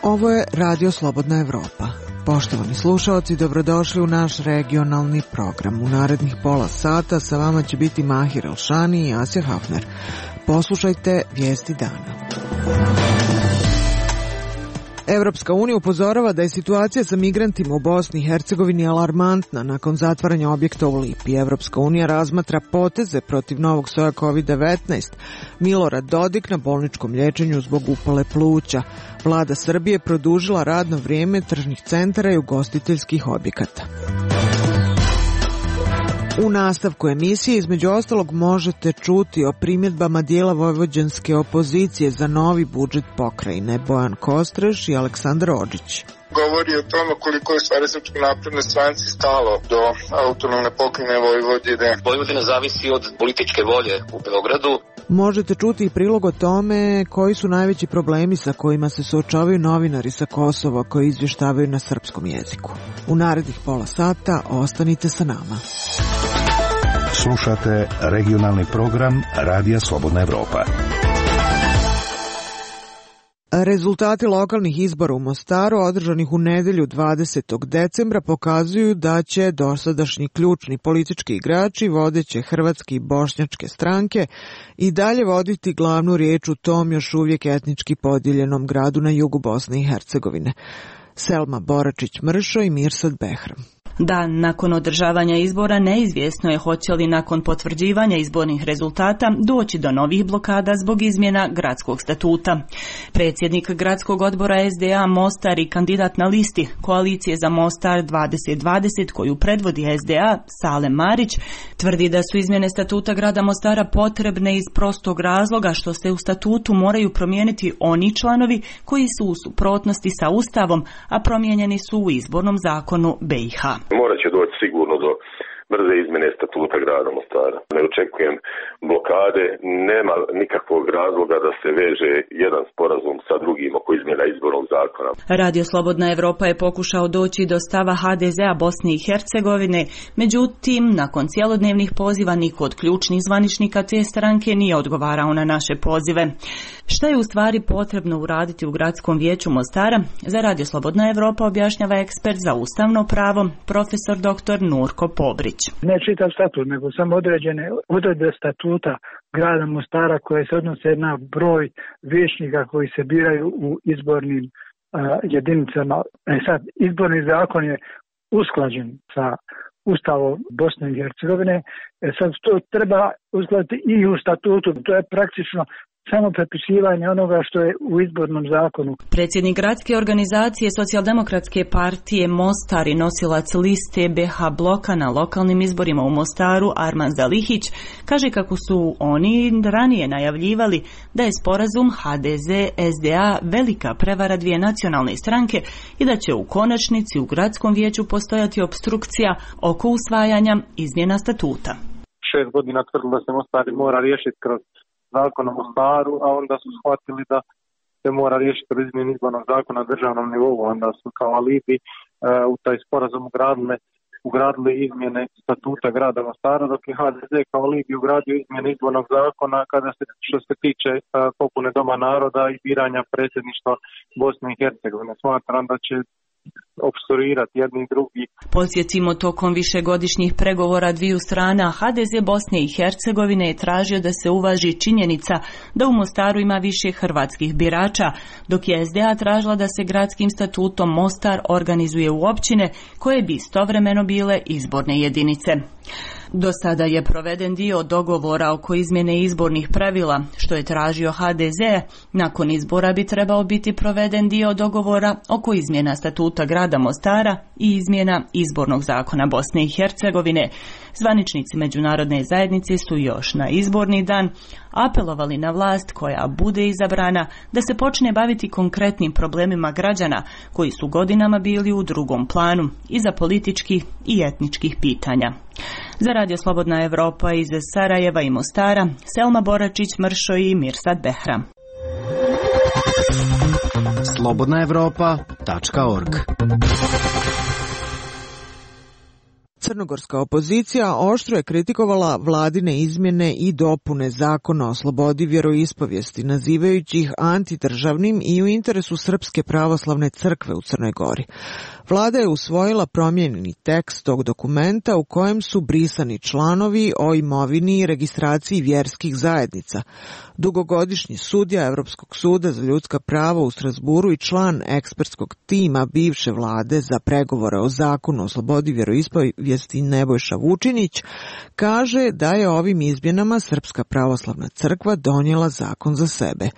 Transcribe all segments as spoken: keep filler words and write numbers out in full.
Ovo je Radio Slobodna Evropa. Poštovani slušalci, dobrodošli u naš regionalni program. U narednih pola sata sa vama će biti Mahir Elšani i Asja Hafner. Poslušajte vijesti dana. Evropska unija upozorava da je situacija sa migrantima u Bosni i Hercegovini alarmantna nakon zatvaranja objekta u Lipi. Evropska unija razmatra poteze protiv novog soja kovid devetnaest. Milorad Dodik na bolničkom liječenju zbog upale pluća. Vlada Srbije produžila radno vrijeme tržnih centara i ugostiteljskih objekata. U nastavku emisije između ostalog možete čuti o primjedbama dijela vojvođanske opozicije za novi budžet pokrajine. Bojan Kostreš i Aleksandar Odžić. Govori o tome koliko je stvari Srpskoj naprednoj stranci stalo do autonomne pokrajine Vojvodine. Vojvodina zavisi od političke volje u Beogradu. Možete čuti i prilog o tome koji su najveći problemi sa kojima se suočavaju novinari sa Kosova koji izvještavaju na srpskom jeziku. U narednih pola sata ostanite sa nama. Slušate regionalni program Radija Slobodna Evropa. Rezultati lokalnih izbora u Mostaru održanih u nedjelju dvadesetog decembra pokazuju da će dosadašnji ključni politički igrači vodeće hrvatske i bošnjačke stranke i dalje voditi glavnu riječ u tom još uvijek etnički podijeljenom gradu na jugu Bosne i Hercegovine. Selma Boračić-Mršo i Mirsad Behram. Dan nakon održavanja izbora neizvjesno je hoće li nakon potvrđivanja izbornih rezultata doći do novih blokada zbog izmjena gradskog statuta. Predsjednik gradskog odbora es de a Mostar i kandidat na listi Koalicije za Mostar dvadeset dvadeset koju predvodi es de a Salem Marić tvrdi da su izmjene statuta grada Mostara potrebne iz prostog razloga što se u statutu moraju promijeniti oni članovi koji su u suprotnosti sa Ustavom, a promijenjeni su u izbornom zakonu be i ha. Morat će doći sigurno do brze izmjene statuta grada Mostara. Ne očekujem blokade, nema nikakvog razloga da se veže jedan sporazum sa drugim oko izmjena izbornog zakona. Radio Slobodna Evropa je pokušao doći do stava ha de ze a Bosne i Hercegovine, međutim, nakon cjelodnevnih poziva niko od ključnih zvaničnika te stranke nije odgovarao na naše pozive. Šta je u stvari potrebno uraditi u gradskom vijeću Mostara? Za Radio Slobodna Evropa objašnjava ekspert za ustavno pravo, profesor doktor Nurko Pobrić. Ne čitav statut, nego samo određene odredbe statuta grada Mostara koje se odnose na broj vijećnika koji se biraju u izbornim uh, jedinicama. E sad, izborni zakon je usklađen sa Ustavom Bosne i Hercegovine. E sad, to treba uskladiti i u statutu. To je praktično samo prepisivanje onoga što je u izbornom zakonu. Predsjednik gradske organizacije Socijaldemokratske partije Mostar i nosilac liste be ha bloka na lokalnim izborima u Mostaru Arman Zalihić kaže kako su oni ranije najavljivali da je sporazum ha de ze es de a velika prevara dvije nacionalne stranke i da će u konačnici u gradskom vijeću postojati opstrukcija oko usvajanja izmjena statuta. Šest godina tvrdilo da se Mostar mora riješiti kroz zakon o Mostaru, a onda su shvatili da se mora riješiti kroz izmjenu izbornog zakona na državnom nivou, onda su kao alibi e, u taj sporazum ugradili, ugradili izmjene statuta grada Mostara, dok je ha de ze kao alibi ugradio izmjene izbornog zakona kada se, što se tiče e, popune Doma naroda i biranja predsjedništva Bosne i Hercegovine. Smatram da će opstruirati jedni i drugi. Podsjetimo, tokom višegodišnjih pregovora dviju strana ha de ze Bosne i Hercegovine je tražio da se uvaži činjenica da u Mostaru ima više hrvatskih birača, dok je es de a tražila da se gradskim statutom Mostar organizuje u općine koje bi istovremeno bile izborne jedinice. Do sada je proveden dio dogovora oko izmjene izbornih pravila, što je tražio ha de ze. Nakon izbora bi trebao biti proveden dio dogovora oko izmjena statuta grada Mostara i izmjena izbornog zakona Bosne i Hercegovine. Zvaničnici međunarodne zajednice su još na izborni dan apelovali na vlast koja bude izabrana da se počne baviti konkretnim problemima građana koji su godinama bili u drugom planu iza političkih i etničkih pitanja. Za Radio Slobodna Evropa iz Sarajeva i Mostara, Selma Boračić-Mršo i Mirsad Behram. slobodna evropa tačka org Crnogorska opozicija oštro je kritikovala vladine izmjene i dopune zakona o slobodi vjeroispovijesti, nazivajući ih antidržavnim i u interesu Srpske pravoslavne crkve u Crnoj Gori. Vlada je usvojila promijenjeni tekst tog dokumenta u kojem su brisani članovi o imovini i registraciji vjerskih zajednica. Dugogodišnji sudija Evropskog suda za ljudska prava u Strasburu i član ekspertskog tima bivše vlade za pregovore o zakonu o slobodi vjeroispovijesti Nebojša Vučinić kaže da je ovim izmjenama Srpska pravoslavna crkva donijela zakon za sebe.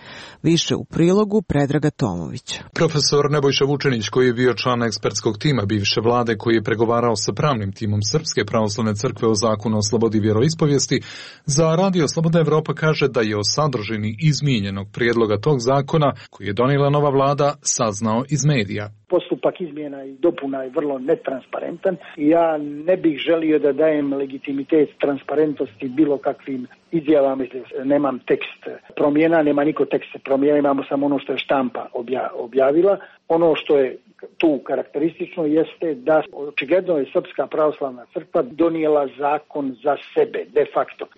Više u prilogu Predraga Tomovića. Profesor Nebojša Vučinić, koji je bio član ekspertskog tima bivše vlade, koji je pregovarao sa pravnim timom Srpske pravoslavne crkve o zakonu o slobodi vjeroispovijesti, za Radio Slobodna Evropa kaže da je o sadržini izmijenjenog prijedloga tog zakona, koji je donijela nova vlada, saznao iz medija. Postupak izmjena i dopuna je vrlo netransparentan i ja ne bih želio da dajem legitimitet transparentnosti bilo kakvim izjavama. Nemam tekst promjena, nema niko tekst promjena, imamo samo ono što je štampa objavila. Ono što je tu karakteristično jeste da očigledno je Srpska pravoslavna crkva donijela zakon za sebe, de facto. E,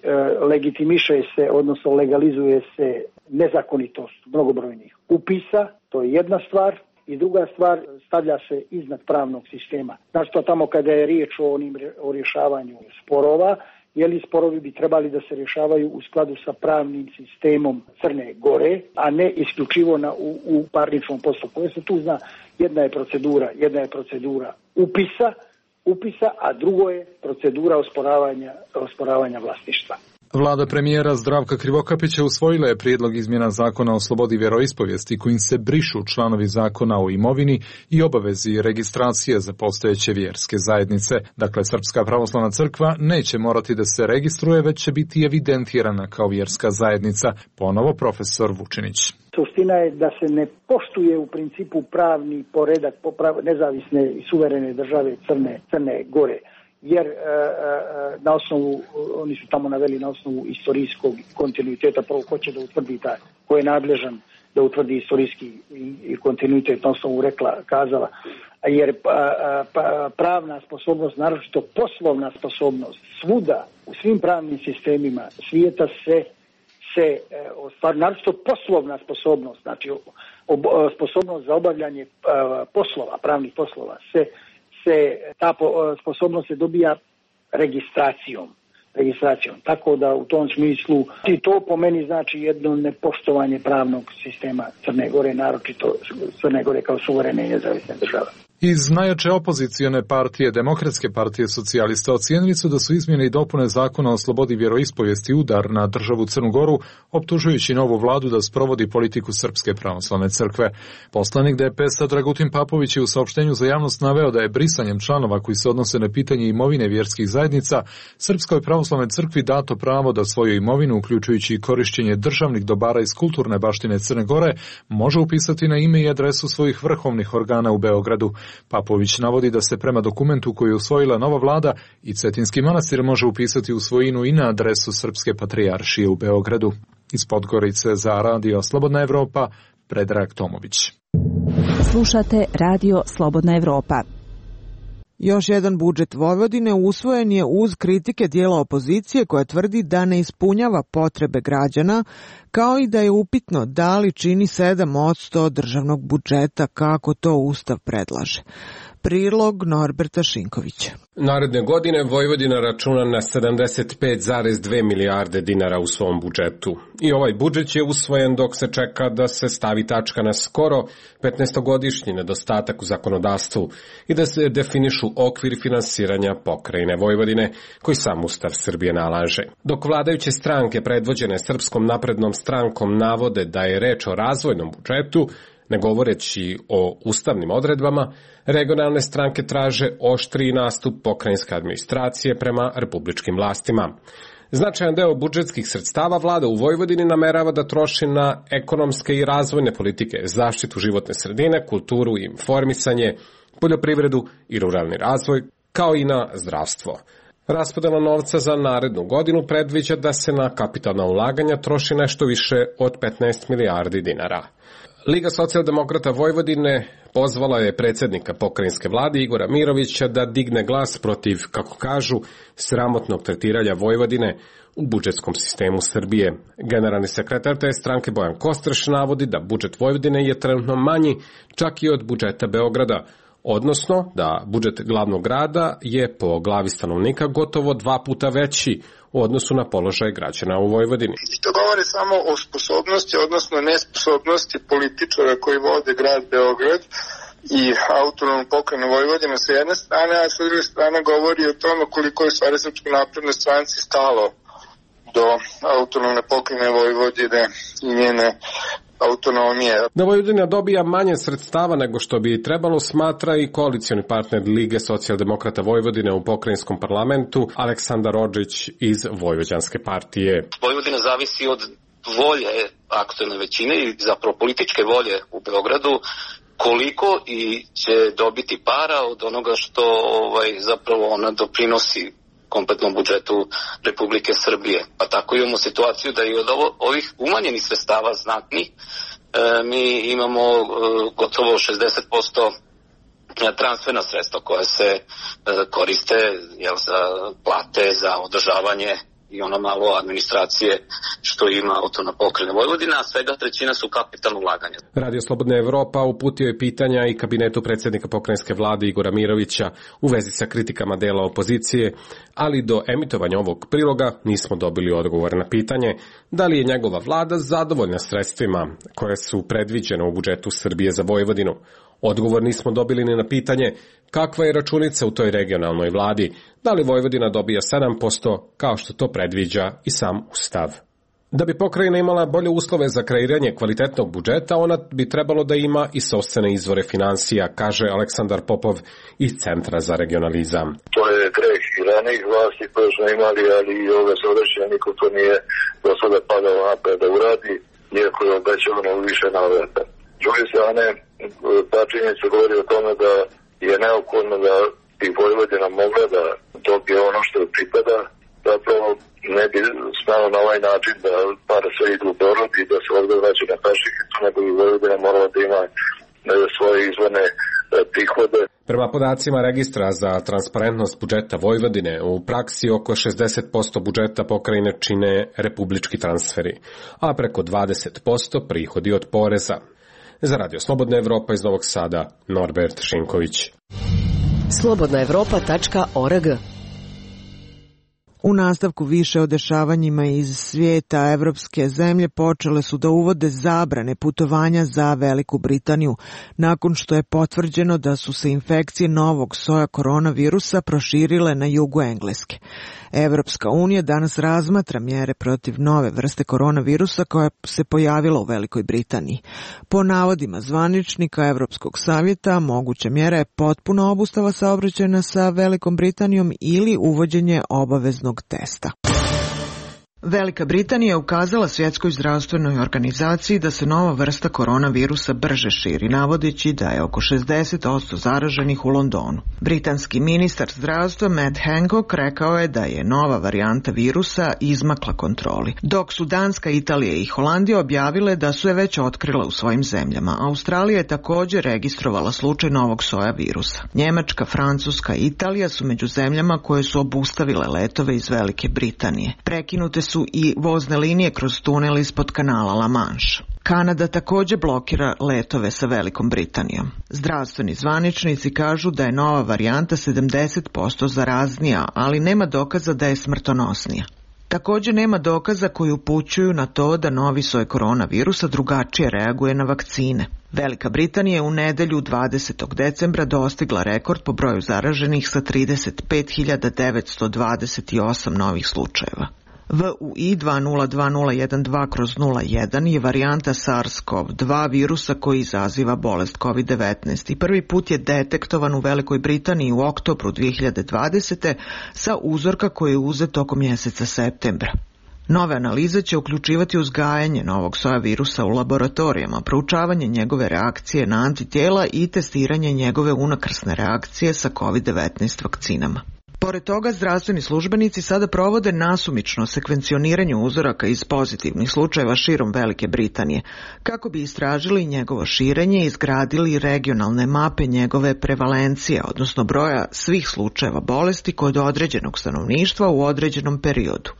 legitimiše se, odnosno legalizuje se nezakonitost mnogobrojnih upisa, to je jedna stvar. I druga stvar, stavlja se iznad pravnog sistema. Znači to tamo kada je riječ o, onim, o rješavanju sporova, jeli sporovi bi trebali da se rješavaju u skladu sa pravnim sistemom Crne Gore, a ne isključivo na, u, u parničnom postupku. Jer se tu zna, jedna je procedura, jedna je procedura upisa, upisa, a drugo je procedura osporavanja, osporavanja vlasništva. Vlada premijera Zdravka Krivokapića usvojila je prijedlog izmjena zakona o slobodi vjeroispovijesti kojim se brišu članovi zakona o imovini i obavezi registracije za postojeće vjerske zajednice. Dakle, Srpska pravoslavna crkva neće morati da se registruje, već će biti evidentirana kao vjerska zajednica. Ponovo profesor Vučinić. Suština je da se ne poštuje u principu pravni poredak nezavisne i suverene države Crne, Crne Gore. Jer e, e, na osnovu, oni su tamo naveli na osnovu istorijskog kontinuiteta, prvo ko će da utvrdi taj, ko je nadležan da utvrdi istorijski i, i kontinuitet, na osnovu rekla, kazala, jer pa, pa, pravna sposobnost, naročito poslovna sposobnost, svuda, u svim pravnim sistemima svijeta se, se ostvar, naročito poslovna sposobnost, znači ob, sposobnost za obavljanje a, poslova, pravnih poslova, se se ta sposobnost se dobija registracijom, registracijom. Tako da u tom smislu i to po meni znači jedno nepoštovanje pravnog sistema Crne Gore, naročito Crne Gore kao suverene i nezavisne države. Iz najjače opozicijone partije, Demokratske partije socijalista, ocijenili su da su izmjene i dopune zakona o slobodi vjeroispovijesti udar na državu Crnu Goru, optužujući novu vladu da sprovodi politiku Srpske pravoslavne crkve. Poslanik D P S-a Dragutin Papović je u saopštenju za javnost naveo da je brisanjem članova koji se odnose na pitanje imovine vjerskih zajednica Srpskoj pravoslavnoj crkvi dato pravo da svoju imovinu, uključujući i korišćenje državnih dobara iz kulturne baštine Crne Gore, može upisati na ime i adresu svojih vrhovnih organa u Beogradu. Papović navodi da se prema dokumentu koji je usvojila nova vlada i Cetinski manastir može upisati u svojinu i na adresu Srpske patrijaršije u Beogradu. Iz Podgorice za Radio Slobodna Evropa, Predrag Tomović. Slušate Radio Slobodna Evropa. Još jedan budžet Vojvodine usvojen je uz kritike dijela opozicije koja tvrdi da ne ispunjava potrebe građana, kao i da je upitno da li čini sedam posto državnog budžeta kako to Ustav predlaže. Prilog Norberta Šinkovića. Naredne godine Vojvodina računa na sedamdeset pet zarez dve milijarde dinara u svom budžetu. I ovaj budžet je usvojen dok se čeka da se stavi tačka na skoro petnaestogodišnji nedostatak u zakonodavstvu i da se definišu okvir finansiranja pokrajine Vojvodine, koji sam Ustav Srbije nalaže. Dok vladajuće stranke predvođene Srpskom naprednom strankom navode da je reč o razvojnom budžetu, ne govoreći o ustavnim odredbama, regionalne stranke traže oštriji nastup pokrajinske administracije prema republičkim vlastima. Značajan deo budžetskih sredstava vlada u Vojvodini namerava da troši na ekonomske i razvojne politike, zaštitu životne sredine, kulturu i informisanje, poljoprivredu i ruralni razvoj, kao i na zdravstvo. Raspodela novca za narednu godinu predviđa da se na kapitalna ulaganja troši nešto više od petnaest milijardi dinara. Liga socijaldemokrata Vojvodine pozvala je predsjednika pokrajinske vlade Igora Mirovića da digne glas protiv, kako kažu, sramotnog tretiranja Vojvodine u budžetskom sistemu Srbije. Generalni sekretar te stranke Bojan Kostreš navodi da budžet Vojvodine je trenutno manji čak i od budžeta Beograda, odnosno da budžet glavnog grada je po glavi stanovnika gotovo dva puta veći u odnosu na položaj građana u Vojvodini. I to govori samo o sposobnosti, odnosno nesposobnosti političara koji vode grad Beograd i autonomnu pokrajinu Vojvodine sa jedne strane, a sa druge strane govori o tome koliko je stvari Srpskoj naprednoj stranci stalo do autonomne pokrajine Vojvodine i njene autonomije. Da Vojvodina dobija manje sredstava nego što bi trebalo, smatra i koalicioni partner Lige socijaldemokrata Vojvodine u pokrajinskom parlamentu Aleksandar Odžić iz Vojvođanske partije. Vojvodina zavisi od volje aktuelne većine i zapravo političke volje u Beogradu, koliko i će dobiti para od onoga što ovaj, zapravo ona doprinosi kompletnom budžetu Republike Srbije. Pa tako imamo situaciju da i od ovo, ovih umanjenih sredstava znatnih e, mi imamo e, gotovo šezdeset posto transferna sredstva koja se e, koriste jel, za plate, za održavanje i ono malo administracije što ima autonomna pokrajina Vojvodina, a svega trećina su kapitalno ulaganja. Radio Slobodna Evropa uputio je pitanja i kabinetu predsjednika pokrajinske vlade Igora Mirovića u vezi sa kritikama dela opozicije, ali do emitovanja ovog priloga nismo dobili odgovor na pitanje da li je njegova vlada zadovoljna sredstvima koje su predviđene u budžetu Srbije za Vojvodinu. Odgovor nismo dobili ni na pitanje kakva je računica u toj regionalnoj vladi, da li Vojvodina dobija sedam posto kao što to predviđa i sam Ustav. Da bi pokrajina imala bolje uslove za kreiranje kvalitetnog budžeta, ona bi trebalo da ima i sopstvene izvore finansija, kaže Aleksandar Popov iz Centra za regionalizam. To je greh i ranijih vlasti koje smo imali, ali i ove sadašnje niko to nije do sada padalo napred da uradi, iako je obećavano više navrata. S druge strane, ta činjenica govori o tome da je neophodno da i Vojvodina mogla da dobije ono što pripada, zapravo ne bi smelo na ovaj način da pare sve idu u Beograd i da se ovdje vraća na Pašikicu, nego bi Vojvodina morala da ima svoje izvorne prihode. Prema podacima registra za transparentnost budžeta Vojvodine, u praksi oko šezdeset posto budžeta pokrajine čine republički transferi, a preko dvadeset posto prihodi od poreza. Za Radio Slobodna Evropa iz Novog Sada, Norbert Šinković. slobodna evropa tačka org. U nastavku više o dešavanjima iz svijeta, evropske zemlje počele su da uvode zabrane putovanja za Veliku Britaniju, nakon što je potvrđeno da su se infekcije novog soja koronavirusa proširile na jugu Engleske. Evropska unija danas razmatra mjere protiv nove vrste koronavirusa koja se pojavila u Velikoj Britaniji. Po navodima zvaničnika Evropskog savjeta, moguća mjera je potpuna obustava saobraćaja sa Velikom Britanijom ili uvođenje obaveznog testa. Velika Britanija je ukazala Svjetskoj zdravstvenoj organizaciji da se nova vrsta koronavirusa brže širi, navodeći da je oko šezdeset posto zaraženih u Londonu. Britanski ministar zdravstva Matt Hancock rekao je da je nova varijanta virusa izmakla kontroli, dok su Danska, Italija i Holandija objavile da su je već otkrile u svojim zemljama. Australija je također registrovala slučaj novog soja virusa. Njemačka, Francuska i Italija su među zemljama koje su obustavile letove iz Velike Britanije. Prekinute su i vozne linije kroz tunel ispod kanala La Manche. Kanada također blokira letove sa Velikom Britanijom. Zdravstveni zvaničnici kažu da je nova varijanta sedamdeset posto zaraznija, ali nema dokaza da je smrtonosnija. Također nema dokaza koji upućuju na to da novi soj koronavirusa drugačije reaguje na vakcine. Velika Britanija je u nedelju dvadesetog decembra dostigla rekord po broju zaraženih sa trideset pet hiljada devetsto dvadeset osam novih slučajeva. V U I dva nula dva nula jedan dva nula jedan je varijanta SARS-CoV dva virusa koji izaziva bolest kovid devetnaest i prvi put je detektovan u Velikoj Britaniji u oktobru dvije hiljade dvadesete sa uzorka koji je uzet tokom mjeseca septembra. Nove analize će uključivati uzgajanje novog soja virusa u laboratorijama, proučavanje njegove reakcije na antitijela i testiranje njegove unakrsne reakcije sa kovid devetnaest vakcinama. Pored toga, zdravstveni službenici sada provode nasumično sekvencioniranje uzoraka iz pozitivnih slučajeva širom Velike Britanije, kako bi istražili njegovo širenje i izgradili regionalne mape njegove prevalencije, odnosno broja svih slučajeva bolesti kod određenog stanovništva u određenom periodu.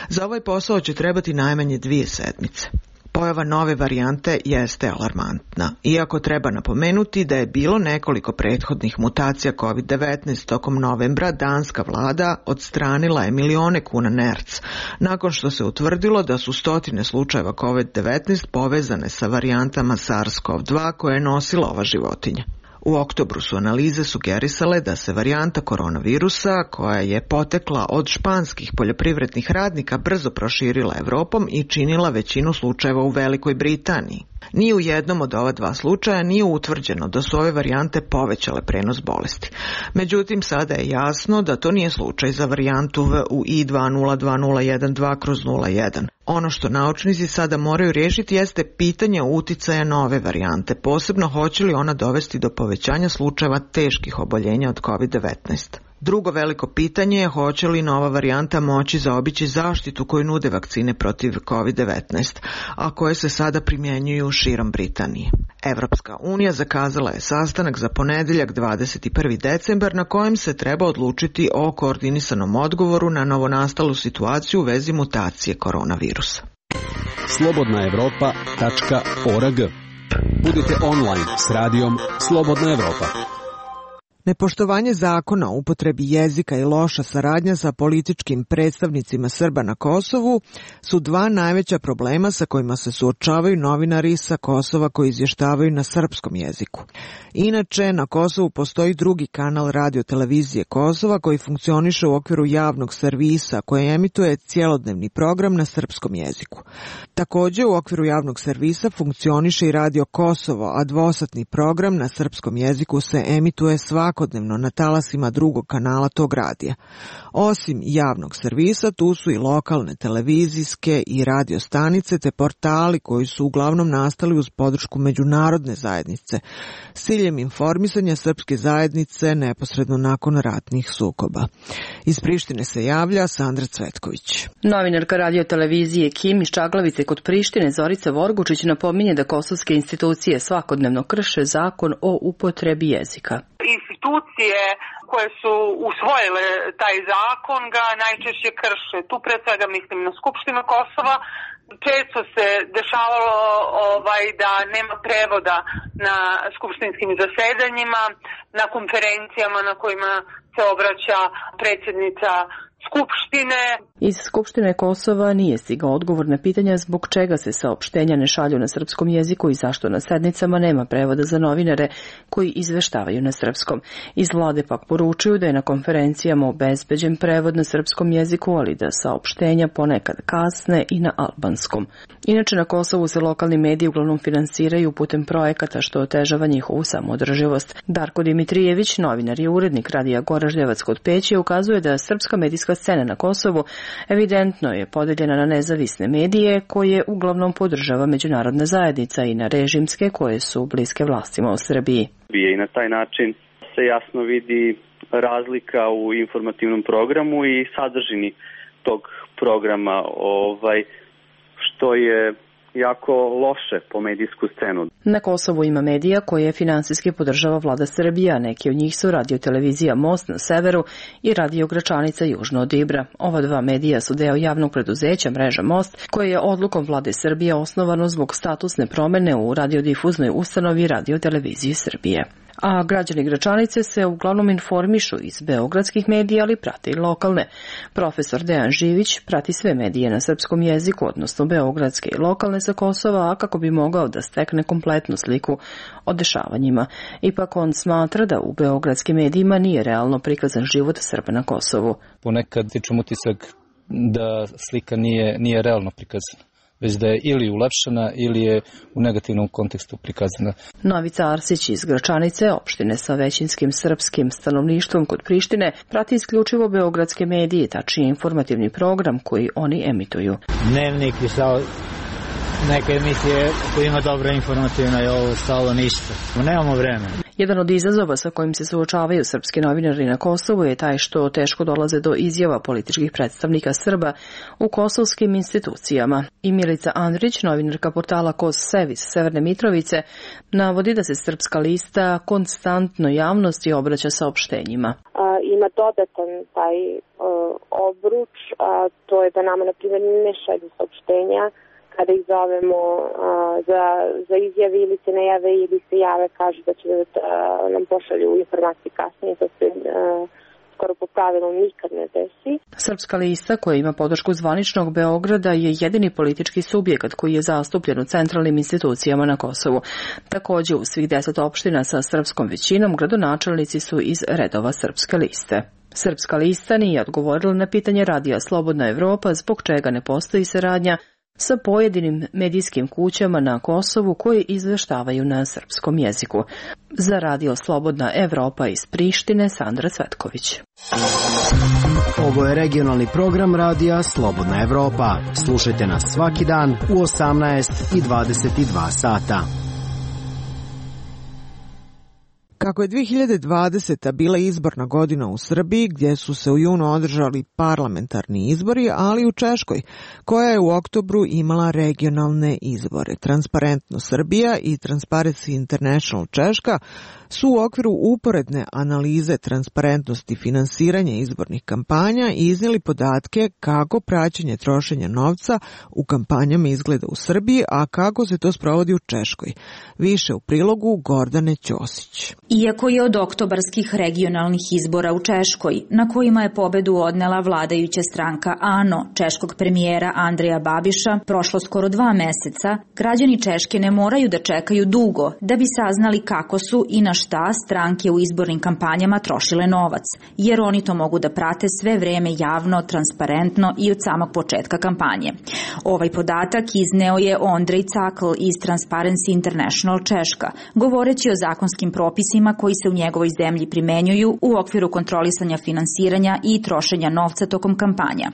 Za ovaj posao će trebati najmanje dvije sedmice. Pojava nove varijante jeste alarmantna, iako treba napomenuti da je bilo nekoliko prethodnih mutacija kovid devetnaest tokom novembra, danska vlada odstranila je milione kuna nerc, nakon što se utvrdilo da su stotine slučajeva kovid devetnaest povezane sa varijantama SARS-CoV dva koje je nosila ova životinja. U oktobru su analize sugerisale da se varijanta koronavirusa, koja je potekla od španskih poljoprivrednih radnika, brzo proširila Evropom i činila većinu slučajeva u Velikoj Britaniji. Ni u jednom od ova dva slučaja nije utvrđeno da su ove varijante povećale prenos bolesti. Međutim, sada je jasno da to nije slučaj za varijantu V U I dva nula dva nula jedan dva kroz nula jedan. Ono što naučnici sada moraju riješiti jeste pitanje uticaja nove varijante, posebno hoće li ona dovesti do povećanja slučajeva teških oboljenja od kovid devetnaest. Drugo veliko pitanje je hoće li nova varijanta moći zaobići zaštitu koju nude vakcine protiv kovid devetnaest, a koje se sada primjenjuju širom Britanije. Evropska unija zakazala je sastanak za ponedeljak dvadeset prvi decembar na kojem se treba odlučiti o koordinisanom odgovoru na novonastalu situaciju u vezi mutacije koronavirusa. slobodna evropa tačka org. Budite online s radijom Slobodna Evropa. Nepoštovanje zakona o upotrebi jezika i loša saradnja sa političkim predstavnicima Srba na Kosovu su dva najveća problema sa kojima se suočavaju novinari sa Kosova koji izvještavaju na srpskom jeziku. Inače, na Kosovu postoji drugi kanal radio-televizije Kosova koji funkcioniše u okviru javnog servisa koji emituje cjelodnevni program na srpskom jeziku. Također, u okviru javnog servisa funkcioniše i Radio Kosovo, a dvosatni program na srpskom jeziku se emituje svakog svakodnevno na talasima drugog kanala tog radija. Osim javnog servisa, tu su i lokalne televizijske i radio stanice te portali koji su uglavnom nastali uz podršku međunarodne zajednice s ciljem informisanja srpske zajednice neposredno nakon ratnih sukoba. Iz Prištine se javlja Sandra Cvetković. Novinarka radio televizije Kim iz Čaglavice kod Prištine Zorica Vorgučić napominje da kosovske institucije svakodnevno krše zakon o upotrebi jezika. Institucije koje su usvojile taj zakon ga najčešće krše. Tu pre svega mislim na Skupštinu Kosova. Često se dešavalo ovaj, da nema prevoda na skupštinskim zasedanjima, na konferencijama na kojima se obraća predsjednica Skupštine. Iz Skupštine Kosova nije stigao odgovor na pitanja zbog čega se saopštenja ne šalju na srpskom jeziku i zašto na sednicama nema prevoda za novinare koji izveštavaju na srpskom. Iz vlade pak poručuju da je na konferencijama obezbeđen prevod na srpskom jeziku, ali da saopštenja ponekad kasne i na albanskom. Inače, na Kosovu se lokalni mediji uglavnom finansiraju putem projekata što otežava njihovu samoodrživost. Darko Dimitrijević, novinar i urednik radija Goražljevac kod Peći, ukazuje da srpska medijska scena na Kosovu evidentno je podeljena na nezavisne medije koje uglavnom podržava međunarodna zajednica i na režimske koje su bliske vlastima u Srbiji. I na taj način se jasno vidi razlika u informativnom programu i sadržini tog programa, ovaj, što je jako loše po medijsku scenu. Na Kosovu ima medija koje finansijski podržava vlada Srbija, neki od njih su radio televizija Most na severu i radio Gračanica južno od Ibra. Ova dva medija su deo javnog preduzeća mreža Most, koje je odlukom vlade Srbije osnovano zbog statusne promene u radiodifuznoj ustanovi Radio televizije Srbije. A građani Gračanice se uglavnom informišu iz beogradskih medija, ali prate i lokalne. Profesor Dejan Živić prati sve medije na srpskom jeziku, odnosno beogradske i lokalne sa Kosova, a kako bi mogao da stekne kompletnu sliku o dešavanjima. Ipak on smatra da u beogradskim medijima nije realno prikazan život Srba na Kosovu. Ponekad stičem utisak da slika nije, nije realno prikazana, već da je ili ulepšana ili je u negativnom kontekstu prikazana. Novica Arsić iz Gračanice, opštine sa većinskim srpskim stanovništvom kod Prištine, prati isključivo beogradske medije, tačnije informativni program koji oni emituju. Dnevnik i sao neke emisije koja ima dobra informativna i ovo stalo ništa. Nemamo vremena. Jedan od izazova sa kojim se suočavaju srpski novinari na Kosovu je taj što teško dolaze do izjava političkih predstavnika Srba u kosovskim institucijama. I Milica Andrić, novinarka portala Kos Sevis Severne Mitrovice, navodi da se Srpska lista konstantno javnosti obraća saopštenjima. A, ima dodatan taj uh, obruč, a to je da nama, na primjer, ne šalju saopštenja kada ih zovemo uh, za, za izjave ili se ne jave ili se jave, kažu da će da nam pošalju informacije kasnije, to se uh, skoro po pravilu nikad ne desi. Srpska lista, koja ima podršku zvaničnog Beograda, je jedini politički subjekat koji je zastupljen u centralnim institucijama na Kosovu. Također, u svih deset opština sa srpskom većinom gradonačelnici su iz redova Srpske liste. Srpska lista nije odgovorila na pitanje Radija Slobodna Evropa zbog čega ne postoji saradnja sa pojedinim medijskim kućama na Kosovu koji izveštavaju na srpskom jeziku. Za Radio Slobodna Evropa iz Prištine, Sandra Cvetković. Ovo je regionalni program Radija Slobodna Evropa. Slušajte nas svaki dan u osamnaest i dvadeset dva sata. Kako je dve hiljade dvadeseta bila izborna godina u Srbiji, gdje su se u junu održali parlamentarni izbori, ali u Češkoj, koja je u oktobru imala regionalne izbore. Transparentno Srbija i Transparency International Češka su u okviru uporedne analize transparentnosti finansiranja izbornih kampanja iznijeli podatke kako praćenje trošenja novca u kampanjama izgleda u Srbiji, a kako se to sprovodi u Češkoj. Više u prilogu Gordane Ćosić. Iako je od oktobarskih regionalnih izbora u Češkoj, na kojima je pobedu odnela vladajuća stranka ANO, češkog premijera Andreja Babiša, prošlo skoro dva meseca, građani Češke ne moraju da čekaju dugo da bi saznali kako su i na šta stranke u izbornim kampanjama trošile novac, jer oni to mogu da prate sve vreme javno, transparentno i od samog početka kampanje. Ovaj podatak izneo je Ondrej Cakl iz Transparency International Češka, govoreći o zakonskim propisima koji se u njegovoj zemlji primenjuju u okviru kontrolisanja finansiranja i trošenja novca tokom kampanja.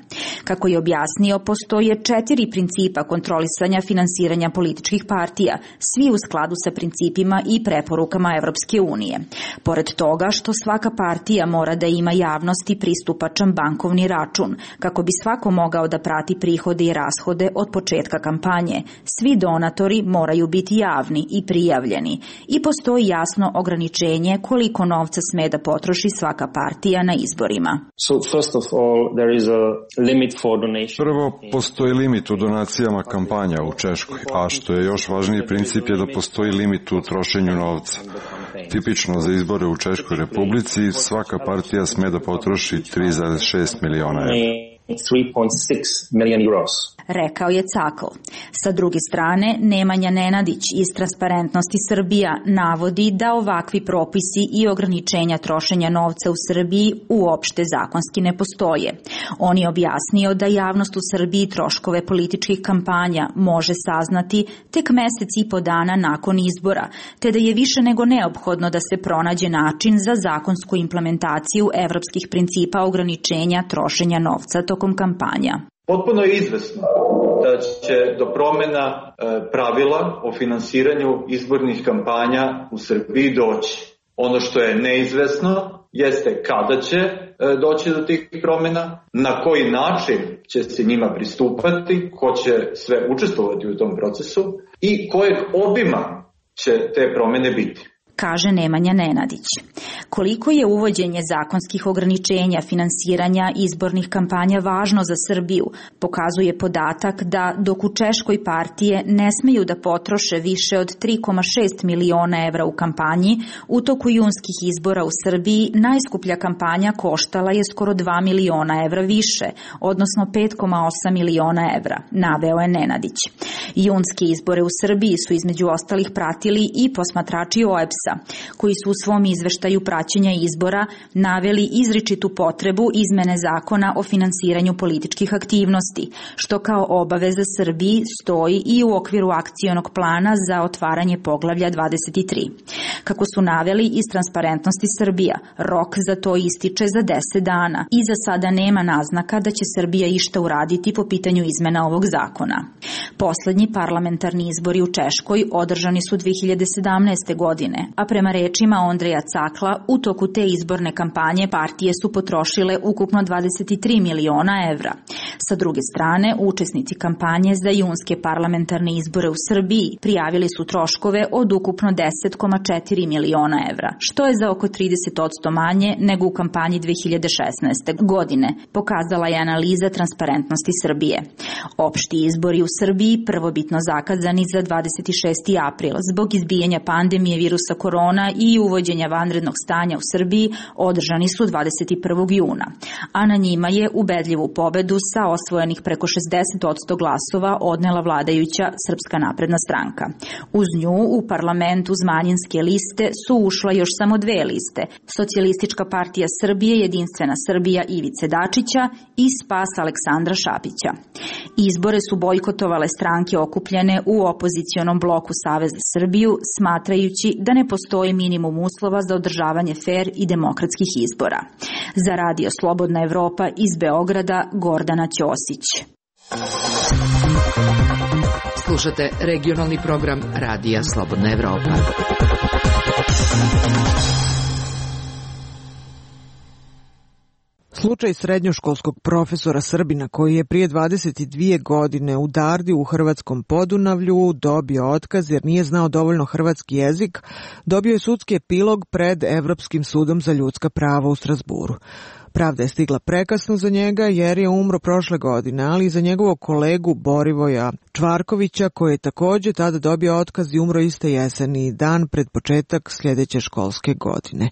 Kako je objasnio, postoje četiri principa kontrolisanja finansiranja političkih partija, svi u skladu sa principima i preporukama Evropske unije. Pored toga što svaka partija mora da ima javnosti pristupačan bankovni račun, kako bi svako mogao da prati prihode i rashode od početka kampanje, svi donatori moraju biti javni i prijavljeni i postoji jasno ograničenje koliko novca sme da potroši svaka partija na izborima. So first of all, there is a limit for donation. Prvo, postoji limit u donacijama kampanja u Češkoj, a što je još važniji princip je da postoji limit u trošenju novca. Tipično za izbore u Češkoj Republici svaka partija sme da potroši tri zarez šest miliona evra. three point six million euros. Rekao je Cakl. Sa druge strane, Nemanja Nenadić iz Transparentnosti Srbija navodi da ovakvi propisi i ograničenja trošenja novca u Srbiji uopšte zakonski ne postoje. On je objasnio da javnost u Srbiji troškove političkih kampanja može saznati tek mesec i po dana nakon izbora, te da je više nego neophodno da se pronađe način za zakonsku implementaciju evropskih principa ograničenja trošenja novca tokom kampanja. Potpuno je izvesno da će do promjena pravila o finansiranju izbornih kampanja u Srbiji doći. Ono što je neizvesno jeste kada će doći do tih promjena, na koji način će se njima pristupati, ko će sve učestvovati u tom procesu i kojeg obima će te promjene biti. Kaže Nemanja Nenadić. Koliko je uvođenje zakonskih ograničenja finansiranja izbornih kampanja važno za Srbiju, pokazuje podatak da dok u Češkoj partije ne smeju da potroše više od tri zarez šest miliona evra u kampanji, u toku junskih izbora u Srbiji najskuplja kampanja koštala je skoro dva miliona evra više, odnosno pet zarez osam miliona evra, naveo je Nenadić. Junske izbore u Srbiji su između ostalih pratili i posmatrači O E B S-a, koji su u svom izveštaju praćenja izbora naveli izričitu potrebu izmene zakona o finansiranju političkih aktivnosti, što kao obaveza Srbiji stoji i u okviru akcionog plana za otvaranje poglavlja dvadeset tri. Kako su naveli iz Transparentnosti Srbija, rok za to ističe za deset dana i za sada nema naznaka da će Srbija išta uraditi po pitanju izmena ovog zakona. Poslednji parlamentarni izbori u Češkoj održani su dve hiljade sedamnaeste godine, a prema rečima Ondreja Cakla, u toku te izborne kampanje partije su potrošile ukupno dvadeset tri miliona evra. Sa druge strane, učesnici kampanje za junske parlamentarne izbore u Srbiji prijavili su troškove od ukupno deset zarez četiri miliona evra, što je za oko trideset posto manje nego u kampanji dve hiljade šesnaeste. godine, pokazala je analiza Transparentnosti Srbije. Opšti izbori u Srbiji, prvobitno zakazani za dvadeset šesti april zbog izbijanja pandemije virusa korona i uvođenja vanrednog stanja u Srbiji, održani su dvadeset prvog juna, a na njima je ubedljivu pobedu sa osvojenih preko šezdeset posto glasova odnela vladajuća Srpska napredna stranka. Uz nju u parlamentu uz manjinske liste su ušla još samo dve liste, Socijalistička partija Srbije, Jedinstvena Srbija Ivice Dačića i Spas Aleksandra Šapića. Izbore su bojkotovale stranke okupljene u opozicionom bloku Savez za Srbiju, smatrajući da ne postoji minimum uslova za održavanje fer i demokratskih izbora. Za Radio Slobodna Evropa iz Beograda, Gordana Ćosić. Slušate regionalni program Radija Slobodna Evropa. Slučaj srednjoškolskog profesora Srbina koji je prije dvadeset dvije godine u Dardi u hrvatskom Podunavlju dobio otkaz jer nije znao dovoljno hrvatski jezik, dobio je sudski epilog pred Evropskim sudom za ljudska prava u Strazburu. Pravda je stigla prekasno za njega jer je umro prošle godine, ali i za njegovog kolegu Borivoja Čvarkovića koji je također tada dobio otkaz i umro iste jeseni, dan pred početak sljedeće školske godine.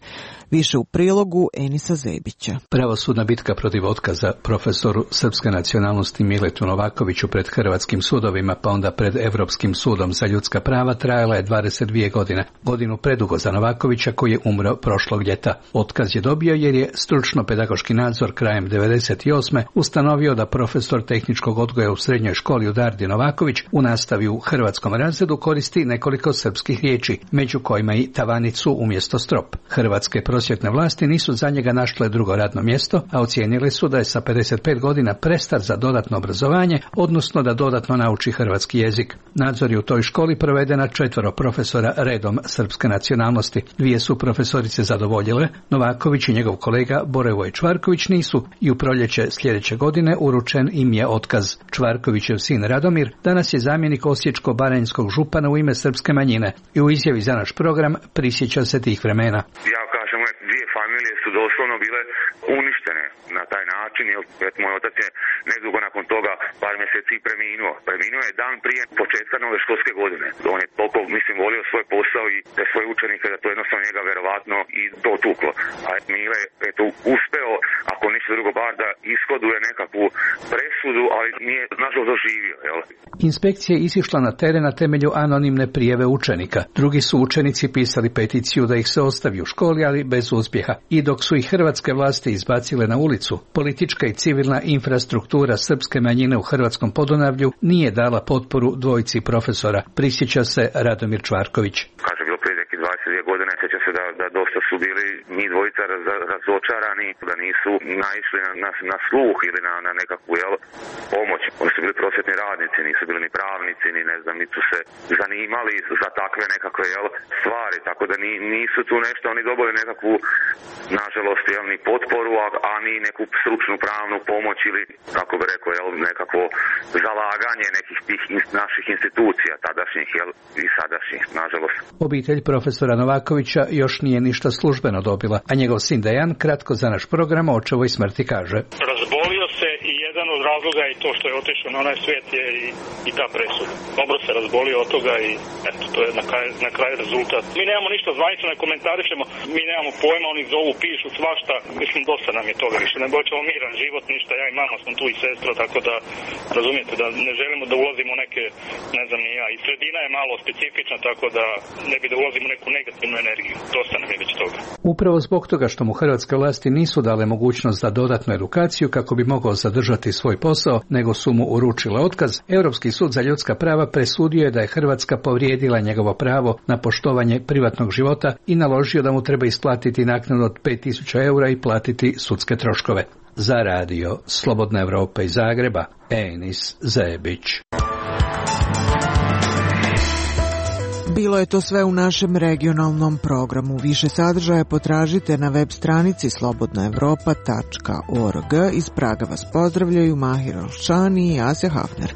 Više u prilogu Enisa Zebića. Pravosudna bitka protiv otkaza profesoru srpske nacionalnosti Miletu Novakoviću pred hrvatskim sudovima pa onda pred Evropskim sudom za ljudska prava trajala je dvadeset dvije godine. Godinu predugo za Novakovića koji je umro prošlog ljeta. Otkaz je dobio jer je stručno pedagoški nadzor krajem devedeset osme ustanovio da profesor tehničkog odgoja u srednjoj školi u Dardi Novaković u nastavi u hrvatskom razredu koristi nekoliko srpskih riječi, među kojima i tavanicu umjesto strop. Hrvatske prosvjetne vlasti nisu za njega našle drugo radno mjesto, a ocijenile su da je sa pedeset pet godina prestar za dodatno obrazovanje, odnosno da dodatno nauči hrvatski jezik. Nadzor je u toj školi proveden na četvoro profesora redom srpske nacionalnosti. Dvije su profesorice zadovoljile, Novaković i njegov kolega Borevoj Čvarković nisu i u proljeće sljedeće godine uručen im je otkaz. Čvarkovićev sin Radomir danas je zamjenik osječko-baranjskog župana u ime srpske manjine i u izjavi za naš program prisjeća se tih vremena. Ja kažem, dvije familije su doslovno bile uništene na taj način, jer moj otac je nedugo nakon toga par mjeseci preminuo. Preminuo je dan prije početka nove školske godine. On je toliko, mislim, volio svoj posao i te svoje učenike da to jednostavno njega verovatno i dotuklo. A Mile je to uspeo, ako ništa drugo, bar da ishoduje nekakvu presudu, ali nije nažalost doživio. Jel? Inspekcija je isišla na teren na temelju anonimne prijave učenika. Drugi su učenici pisali peticiju da ih se ostavi u školi, ali bez uspjeha. I dok su ih hrvatske vlasti izbacile na ulicu, politička i civilna infrastruktura srpske manjine u hrvatskom Podunavlju nije dala potporu dvojici profesora, prisjeća se Radomir Čvarković. Kaže, bilo prije neki dvadeset dvije godine, sjeća se da, da dosta su bili mi dvojica raz, razočarani, da nisu naišli na, na, na sluh ili na, na nekakvu jel, pomoć. Oni su bili prosvjetni radnici, nisu bili ni pravnici, ni ne znam, nisu se zanimali za takve nekakve jel, stvari, tako da ni, nisu tu nešto, oni dobili nekakvu, nažalost, jel, ni potporu, a, a ni neku stručnu pravnu pomoć ili, kako bi rekao, jel, nekakvo zalaganje nekih tih naših institucija, tadašnjih jel, i sadašnjih, nažalost. Obitelj profesora Novakovića još nije ništa službeno dobila, a njegov sin Dejan kratko za naš program o očevoj smrti kaže. Razbolio se i jedan od razloga i to što je otišao na onaj svijet je i, i ta presuda. Dobro se razbolio od toga i eto, to je na kraju, na kraju rezultat. Mi nemamo ništa zvanično, ne komentarišemo, mi nemamo pojma, oni zovu, pišu svašta, mislim dosta nam je toga više. Ne boćemo miran život, ništa, ja i mama smo tu i sestra, tako da razumijete da ne želimo da ulazimo u neke, ne znam ni ja, i sredina je malo specifična, tako da ne bi da ulazimo u neku negativnu energiju. Dosta nam je već toga. Upravo zbog toga što mu hrvatske vlasti nisu dale mogućnost za dodatnu edukaciju kako bi mogao zadržati svoj posao, nego su mu uručile otkaz, Europski sud za ljudska prava presudio je da je Hrvatska povrijedila njegovo pravo na poštovanje privatnog života i naložio da mu treba isplatiti naknadu od pet tisuća eura i platiti sudske troškove. Za radio Slobodna Evropa iz Zagreba, Enis Zebić. Bilo je to sve u našem regionalnom programu. Više sadržaja potražite na web stranici slobodna evropa tačka org. Iz Praga vas pozdravljaju Mahir Alšani i Asja Hafner.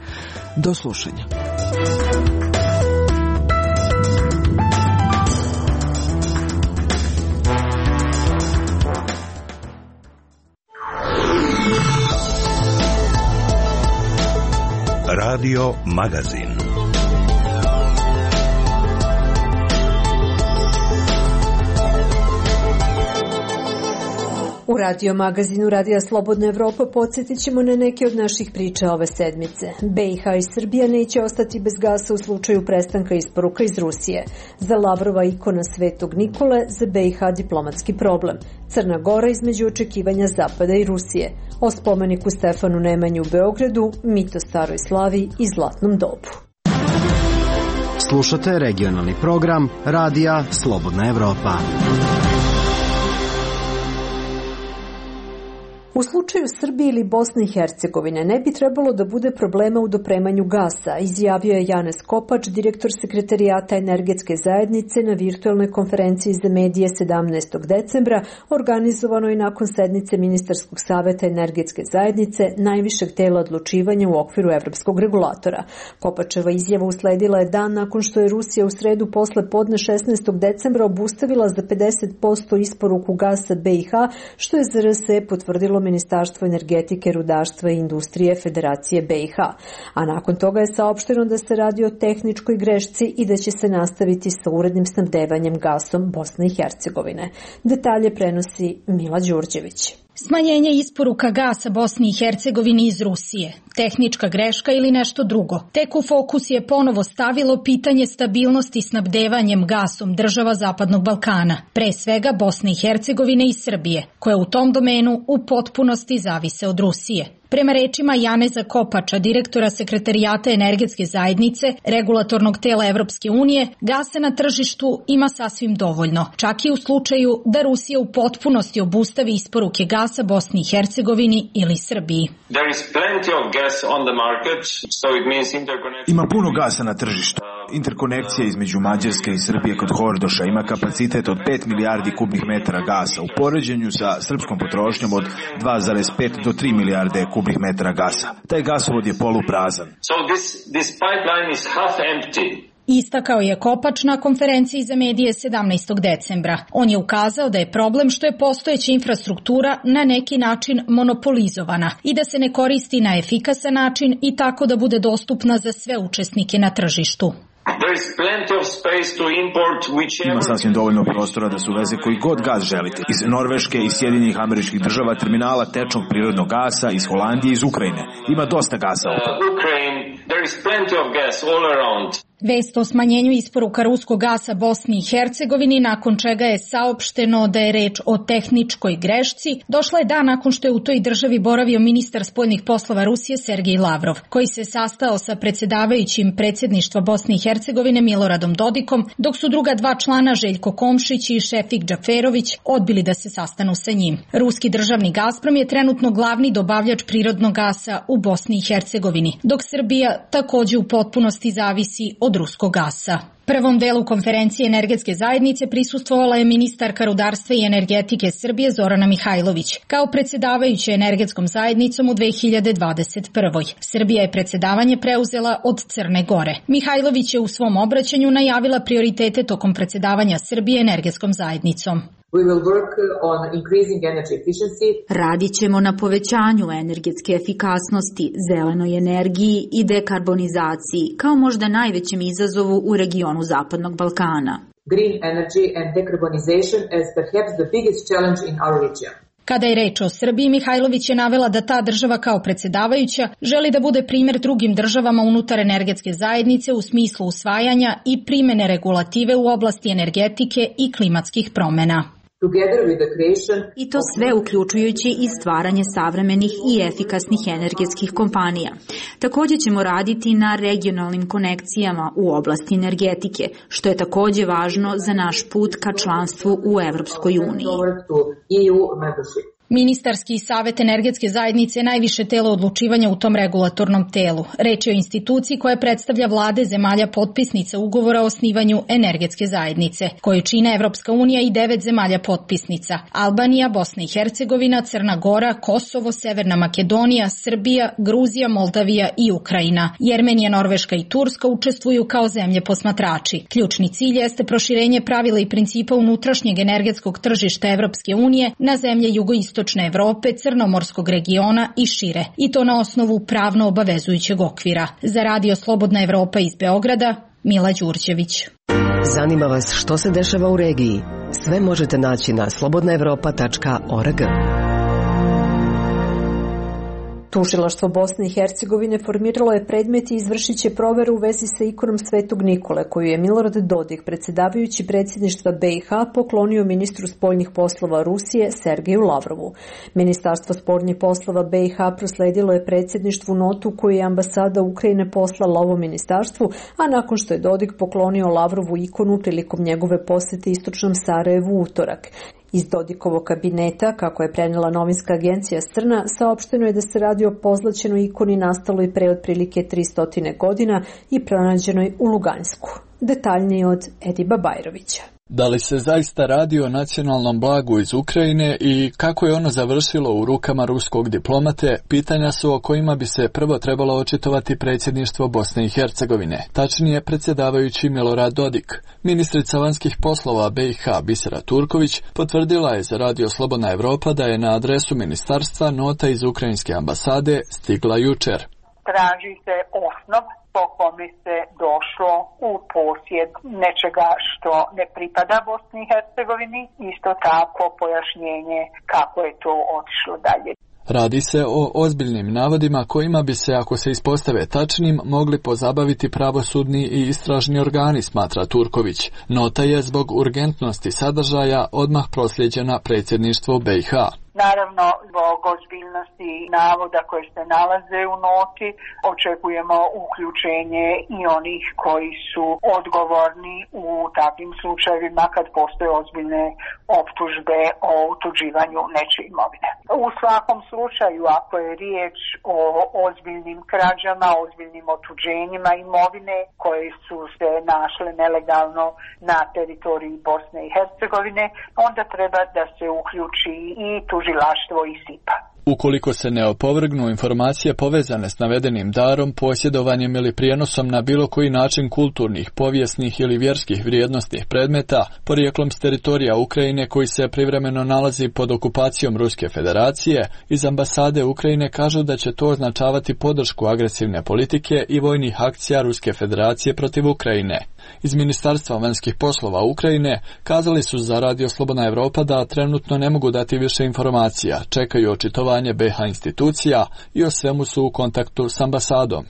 Do slušanja. Radio Magazin. U Radio Magazinu Radija Slobodna Evropa podsjetit ćemo na neke od naših priča ove sedmice. B i H i Srbija neće ostati bez gasa u slučaju prestanka isporuka iz Rusije. Za Lavrova ikona Svetog Nikole, za B i H diplomatski problem. Crna Gora između očekivanja Zapada i Rusije. O spomeniku Stefanu Nemanji u Beogradu, mito Staroj Slavi i Zlatnom dobu. Slušate regionalni program Radija Slobodna Evropa. U slučaju Srbije ili Bosne i Hercegovine ne bi trebalo da bude problema u dopremanju gasa, izjavio je Janez Kopač, direktor Sekretarijata energetske zajednice na virtualnoj konferenciji za medije sedamnaestog decembra, organizovanoj nakon sednice Ministarskog saveta energetske zajednice, najvišeg tela odlučivanja u okviru evropskog regulatora. Kopačeva izjava usledila je dan nakon što je Rusija u sredu posle podne šesnaestog decembra obustavila za pedeset posto isporuku gasa B i H, što je Z R S potvrdilo Ministarstvo energetike, rudarstva i industrije Federacije B i H. A nakon toga je saopšteno da se radi o tehničkoj grešci i da će se nastaviti sa urednim snabdevanjem gasom Bosne i Hercegovine. Detalje prenosi Mila Đurđević. Smanjenje isporuka gasa Bosni i Hercegovini iz Rusije. Tehnička greška ili nešto drugo. Tek u fokus je ponovo stavilo pitanje stabilnosti snabdevanjem gasom država Zapadnog Balkana, pre svega Bosne i Hercegovine i Srbije, koje u tom domenu u potpunosti zavise od Rusije. Prema rečima Janeza Kopača, direktora Sekretarijata energetske zajednice, regulatornog tela Evropske unije, gasa na tržištu ima sasvim dovoljno, čak i u slučaju da Rusija u potpunosti obustavi isporuke gasa Bosni i Hercegovini ili Srbiji. Ima puno gasa na tržištu. Interkonekcija između Mađarske i Srbije kod Hordoša ima kapacitet od pet milijardi kubnih metara gasa u poređenju sa srpskom potrošnjom od dva zarez pet do tri milijarde kubnih metara gasa. Taj gasovod je poluprazan. So this, this pipeline is half empty. Istakao je Kopač na konferenciji za medije sedamnaestog decembra. On je ukazao da je problem što je postojeća infrastruktura na neki način monopolizovana i da se ne koristi na efikasan način i tako da bude dostupna za sve učesnike na tržištu. Ima sasvim dovoljno prostora da se uveze koji god gas želite. Iz Norveške, iz Sjedinjenih Američkih Država, terminala tečnog prirodnog gasa, iz Holandije, iz Ukrajine. Ima dosta gasa oko. Vest o smanjenju isporuka ruskog gasa Bosni i Hercegovini, nakon čega je saopšteno da je reč o tehničkoj grešci, došla je dan nakon što je u toj državi boravio ministar spoljnih poslova Rusije Sergej Lavrov, koji se sastao sa predsjedavajućim predsjedništva Bosne i Hercegovine Miloradom Dodikom, dok su druga dva člana Željko Komšić i Šefik Džaferović odbili da se sastanu sa njim. Ruski državni Gazprom je trenutno glavni dobavljač prirodnog gasa u Bosni i Hercegovini, dok Srbija takođe u potpunosti zavisi od ruskog gasa. Prvom delu konferencije energetske zajednice prisustvovala je ministarka rudarstva i energetike Srbije Zorana Mihajlović, kao predsjedavajuća energetskom zajednicom u dve hiljade dvadeset prvoj. Srbija je predsjedavanje preuzela od Crne Gore. Mihajlović je u svom obraćanju najavila prioritete tokom predsjedavanja Srbije energetskom zajednicom. We will work on increasing energy efficiency. Radit ćemo na povećanju energetske efikasnosti, zelenoj energiji i dekarbonizaciji, kao možda najvećem izazovu u regionu Zapadnog Balkana. Green energy and decarbonization as perhaps the biggest challenge in our region. Kada je reč o Srbiji, Mihajlović je navela da ta država kao predsjedavajuća želi da bude primjer drugim državama unutar energetske zajednice u smislu usvajanja i primene regulative u oblasti energetike i klimatskih promjena. I to sve uključujući i stvaranje savremenih i efikasnih energetskih kompanija. Također ćemo raditi na regionalnim konekcijama u oblasti energetike, što je također važno za naš put ka članstvu u Evropskoj uniji. Ministarski savet energetske zajednice je najviše telo odlučivanja u tom regulatornom telu. Reč je o instituciji koja predstavlja vlade zemalja potpisnica ugovora o osnivanju energetske zajednice, koju čine Evropska unija i devet zemalja potpisnica: Albanija, Bosna i Hercegovina, Crna Gora, Kosovo, Severna Makedonija, Srbija, Gruzija, Moldavija i Ukrajina. Jermenija, Norveška i Turska učestvuju kao zemlje posmatrači. Ključni cilj jeste proširenje pravila i principa unutrašnjeg energetskog tržišta Evropske unije na zemlje jugoistočne Evrope, Crnomorskog regiona i šire, i to na osnovu pravno obavezujućeg okvira. Za Radio Slobodna Evropa iz Beograda, Mila Đurđević. Zanima vas što se dešava u regiji? Sve možete naći na slobodna evropa tačka org. Tužilaštvo Bosne i Hercegovine formiralo je predmet i izvršit će proveru u vezi sa ikonom Svetog Nikole, koju je Milorad Dodik, predsjedavajući predsjedništva B i H, poklonio ministru spoljnih poslova Rusije Sergeju Lavrovu. Ministarstvo spoljnih poslova B i H prosledilo je predsjedništvu notu koju je ambasada Ukrajine poslala ovom ministarstvu, a nakon što je Dodik poklonio Lavrovu ikonu prilikom njegove posjete istočnom Sarajevu u utorak. Iz Dodikovog kabineta, kako je prenela novinska agencija Strna, saopšteno je da se radi o pozlaćenoj ikoni nastaloj pre otprilike tristo godina i pronađenoj u Lugansku. Detaljnije od Ediba Bajrovića. Da li se zaista radi o nacionalnom blagu iz Ukrajine i kako je ono završilo u rukama ruskog diplomate, pitanja su o kojima bi se prvo trebalo očitovati predsjedništvo Bosne i Hercegovine, tačnije predsjedavajući Milorad Dodik. Ministrica vanjskih poslova B i H Bisera Turković potvrdila je za Radio Slobodna Evropa da je na adresu ministarstva nota iz ukrajinske ambasade stigla jučer. Traži se osnov po kome se došlo u posjed nečega što ne pripada Bosni i Hercegovini, isto tako pojašnjenje kako je to otišlo dalje. Radi se o ozbiljnim navodima kojima bi se, ako se ispostave tačnim, mogli pozabaviti pravosudni i istražni organi, smatra Turković. Nota je zbog urgentnosti sadržaja odmah prosljeđena predsjedništvu B i H. Naravno, zbog ozbiljnosti navoda koje se nalaze u noti, očekujemo uključenje i onih koji su odgovorni u takvim slučajevima kad postoje ozbiljne optužbe o utuđivanju nečije imovine. U svakom slučaju, ako je riječ o ozbiljnim krađama, ozbiljnim otuđenjima imovine koje su se našle nelegalno na teritoriji Bosne i Hercegovine, onda treba da se uključi i tužilaštvo i S I P A. Ukoliko se ne opovrgnu informacije povezane s navedenim darom, posjedovanjem ili prijenosom na bilo koji način kulturnih, povijesnih ili vjerskih vrijednosnih predmeta, porijeklom s teritorija Ukrajine koji se privremeno nalazi pod okupacijom Ruske federacije, iz ambasade Ukrajine kažu da će to označavati podršku agresivne politike i vojnih akcija Ruske federacije protiv Ukrajine. Iz Ministarstva vanjskih poslova Ukrajine kazali su za Radio Slobodna Evropa da trenutno ne mogu dati više informacija, čekaju očitovanje B H institucija i o svemu su u kontaktu s ambasadom.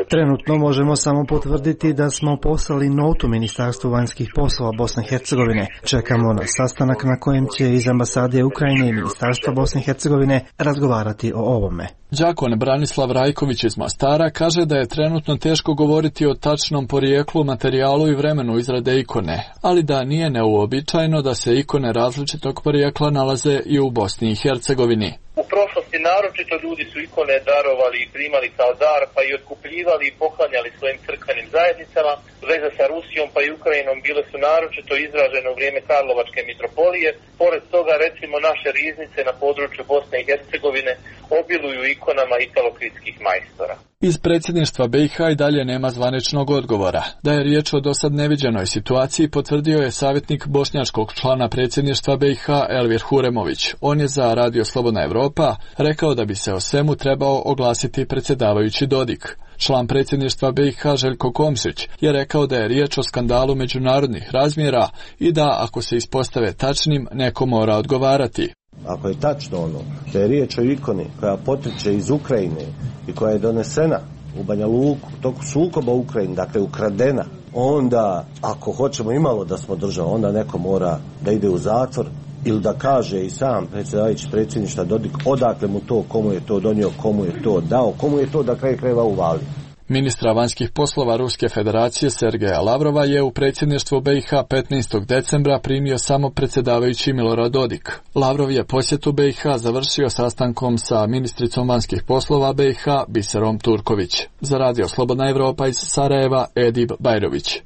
Trenutno možemo samo potvrditi da smo poslali notu Ministarstvu vanjskih poslova Bosne i Hercegovine. Čekamo na sastanak na kojem će iz ambasade Ukrajine i Ministarstva Bosne i Hercegovine razgovarati o ovome. Đakon Branislav Rajković iz Mostara kaže da je trenutno teško govoriti o tačnom porijeklu, materijalu i vremenu izrade ikone, ali da nije neuobičajeno da se ikone različitog porijekla nalaze i u Bosni i Hercegovini. U prošlosti naročito ljudi su ikone darovali i primali kao dar, pa i otkupljivali i poklanjali svojim crkvenim zajednicama. Veze sa Rusijom pa i Ukrajinom bile su naročito izražene u vrijeme Karlovačke mitropolije. Pored toga, recimo, naše riznice na području Bosne i Hercegovine obiluju ikonama italokritskih majstora. Iz predsjedništva B i H i dalje nema zvaničnog odgovora. Da je riječ o dosad neviđenoj situaciji potvrdio je savjetnik bošnjačkog člana predsjedništva B i H Elvir Huremović. On je za Radio Slobodna Evropa rekao da bi se o svemu trebao oglasiti predsjedavajući Dodik. Član predsjedništva B i H Željko Komšić je rekao da je riječ o skandalu međunarodnih razmjera i da, ako se ispostave tačnim, neko mora odgovarati. Ako je tačno ono da je riječ o ikoni koja potiče iz Ukrajine i koja je donesena u Banja Luku u toku sukoba u Ukrajini, dakle ukradena, onda ako hoćemo imalo da smo država, onda neko mora da ide u zatvor ili da kaže i sam predsjedavajući predsjedništva Dodik odakle mu to, komu je to donio, komu je to dao, komu je to da kraj krajeva uvalio. Ministra vanjskih poslova Ruske federacije Sergeja Lavrova je u predsjedništvo B i H petnaestog decembra primio samo predsjedavajući Milorad Dodik. Lavrov je posjetu B i H završio sastankom sa ministricom vanjskih poslova B i H Biserom Turković. Za radio Slobodna Evropa iz Sarajeva, Edib Bajrović.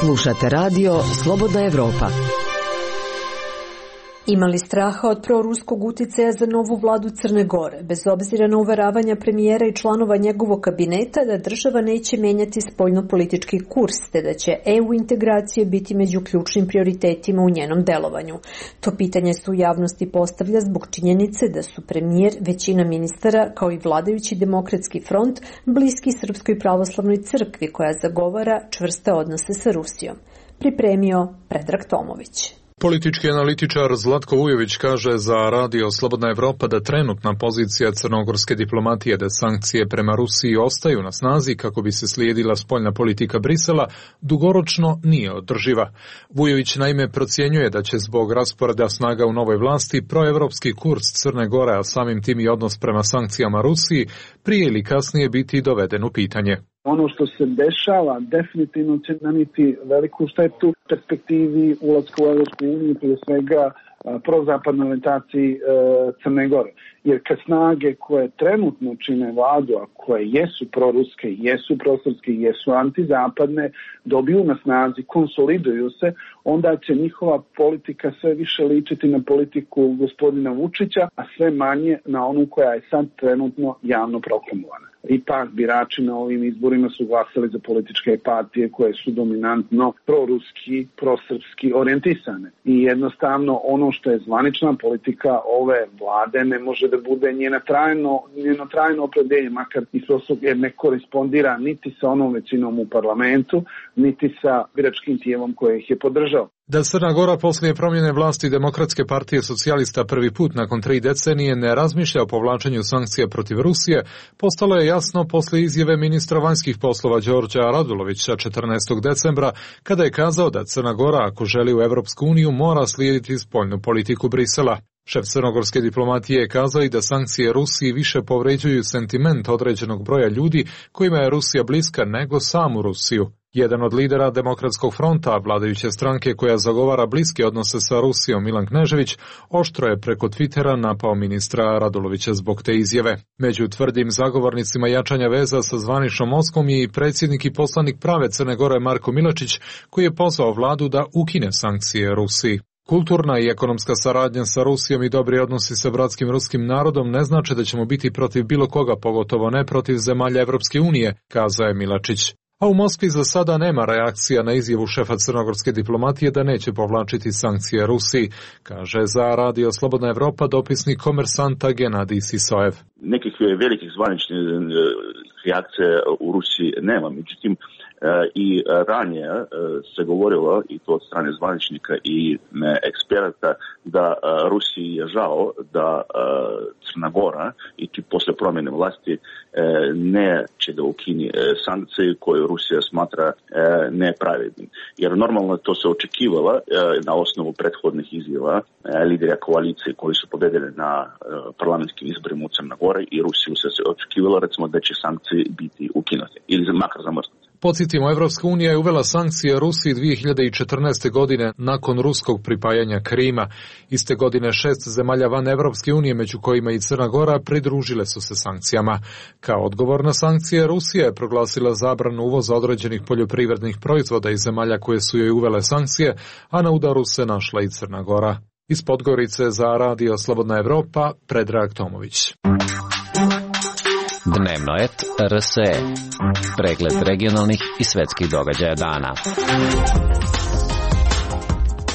Slušate radio Slobodna Evropa. Imali straha od proruskog uticaja za novu vladu Crne Gore, bez obzira na uveravanja premijera i članova njegovog kabineta da država neće menjati spoljnopolitički kurs, te da će E U integracije biti među ključnim prioritetima u njenom delovanju. To pitanje se u javnosti postavlja zbog činjenice da su premijer, većina ministara, kao i vladajući Demokratski front, bliski Srpskoj pravoslavnoj crkvi koja zagovara čvrste odnose sa Rusijom. Pripremio Predrag Tomović. Politički analitičar Zlatko Vujović kaže za radio Slobodna Evropa da trenutna pozicija crnogorske diplomatije da sankcije prema Rusiji ostaju na snazi kako bi se slijedila spoljna politika Brisela dugoročno nije održiva. Vujović naime procjenjuje da će zbog rasporeda snaga u novoj vlasti proevropski kurs Crne Gore, a samim tim i odnos prema sankcijama Rusiji, prije ili kasnije biti doveden u pitanje. Ono što se dešava definitivno će naniti veliku štetu perspektivi ulaska u Evropsku uniju, prije svega prozapadnoj orijentaciji e, Crne Gore. Jer kad snage koje trenutno čine vladu, a koje jesu proruske, jesu prosrpske, jesu antizapadne, dobiju na snazi, konsoliduju se, onda će njihova politika sve više ličiti na politiku gospodina Vučića, a sve manje na onu koja je sad trenutno javno proklamovana. Ipak birači na ovim izborima su glasali za političke partije koje su dominantno proruski, prosrpski orijentisane. I jednostavno ono što je zvanična politika ove vlade ne može da bude njena trajno, njeno trajno opredeljenje, makar i prosto jer ne korespondira niti sa onom većinom u parlamentu, niti sa biračkim tijelom koje ih je podržao. Da Crna Gora poslije promjene vlasti Demokratske partije socijalista prvi put nakon tri decenije ne razmišlja o povlačenju sankcija protiv Rusije, postalo je jasno poslije izjave ministra vanjskih poslova Đorđa Radulovića četrnaestog decembra, kada je kazao da Crna Gora, ako želi u Evropsku uniju, mora slijediti spoljnu politiku Brisela. Šef crnogorske diplomatije je kazao i da sankcije Rusiji više povređuju sentiment određenog broja ljudi kojima je Rusija bliska nego samu Rusiju. Jedan od lidera Demokratskog fronta, vladajuće stranke koja zagovara bliske odnose sa Rusijom, Milan Knežević, oštro je preko Twittera napao ministra Radulovića zbog te izjave. Među tvrdim zagovornicima jačanja veza sa zvaničnom Moskvom je i predsjednik i poslanik prave Crne Gore Marko Milačić, koji je pozvao vladu da ukine sankcije Rusiji. Kulturna i ekonomska saradnja sa Rusijom i dobri odnosi sa bratskim ruskim narodom ne znači da ćemo biti protiv bilo koga, pogotovo ne protiv zemalja Evropske unije, kazao je Milačić. A u Moskvi za sada nema reakcija na izjavu šefa crnogorske diplomatije da neće povlačiti sankcije Rusiji, kaže za radio Slobodna Evropa dopisnik Komersanta Genadij Sisojev. Nekih velikih zvaničnih reakcija u Rusiji nema, međutim i ranije se govorilo, i to od strane zvaničnika i eksperata, da Rusiji je žao da Crna Gora i ti posle promjene vlasti neće da ukini sankcije koje Rusija smatra nepravednim. Jer normalno to se očekivalo na osnovu prethodnih izjava lidera koalicije koji su pobedili na parlamentskim izborima u Crna Gora i Rusiju se očekivalo recimo da će sankcije biti ukinute ili makar zamrznute. Podsjetimo, Evropska unija je uvela sankcije Rusiji dvije hiljade četrnaeste. godine nakon ruskog pripajanja Krima. Iste godine šest zemalja van Evropske unije, među kojima i Crna Gora, pridružile su se sankcijama. Kao odgovor na sankcije, Rusija je proglasila zabranu uvoza određenih poljoprivrednih proizvoda iz zemalja koje su joj uvele sankcije, a na udaru se našla i Crna Gora. Iz Podgorice za radio Slobodna Evropa, Predrag Tomović. Dnevno et R S E. Pregled regionalnih i svetskih događaja dana.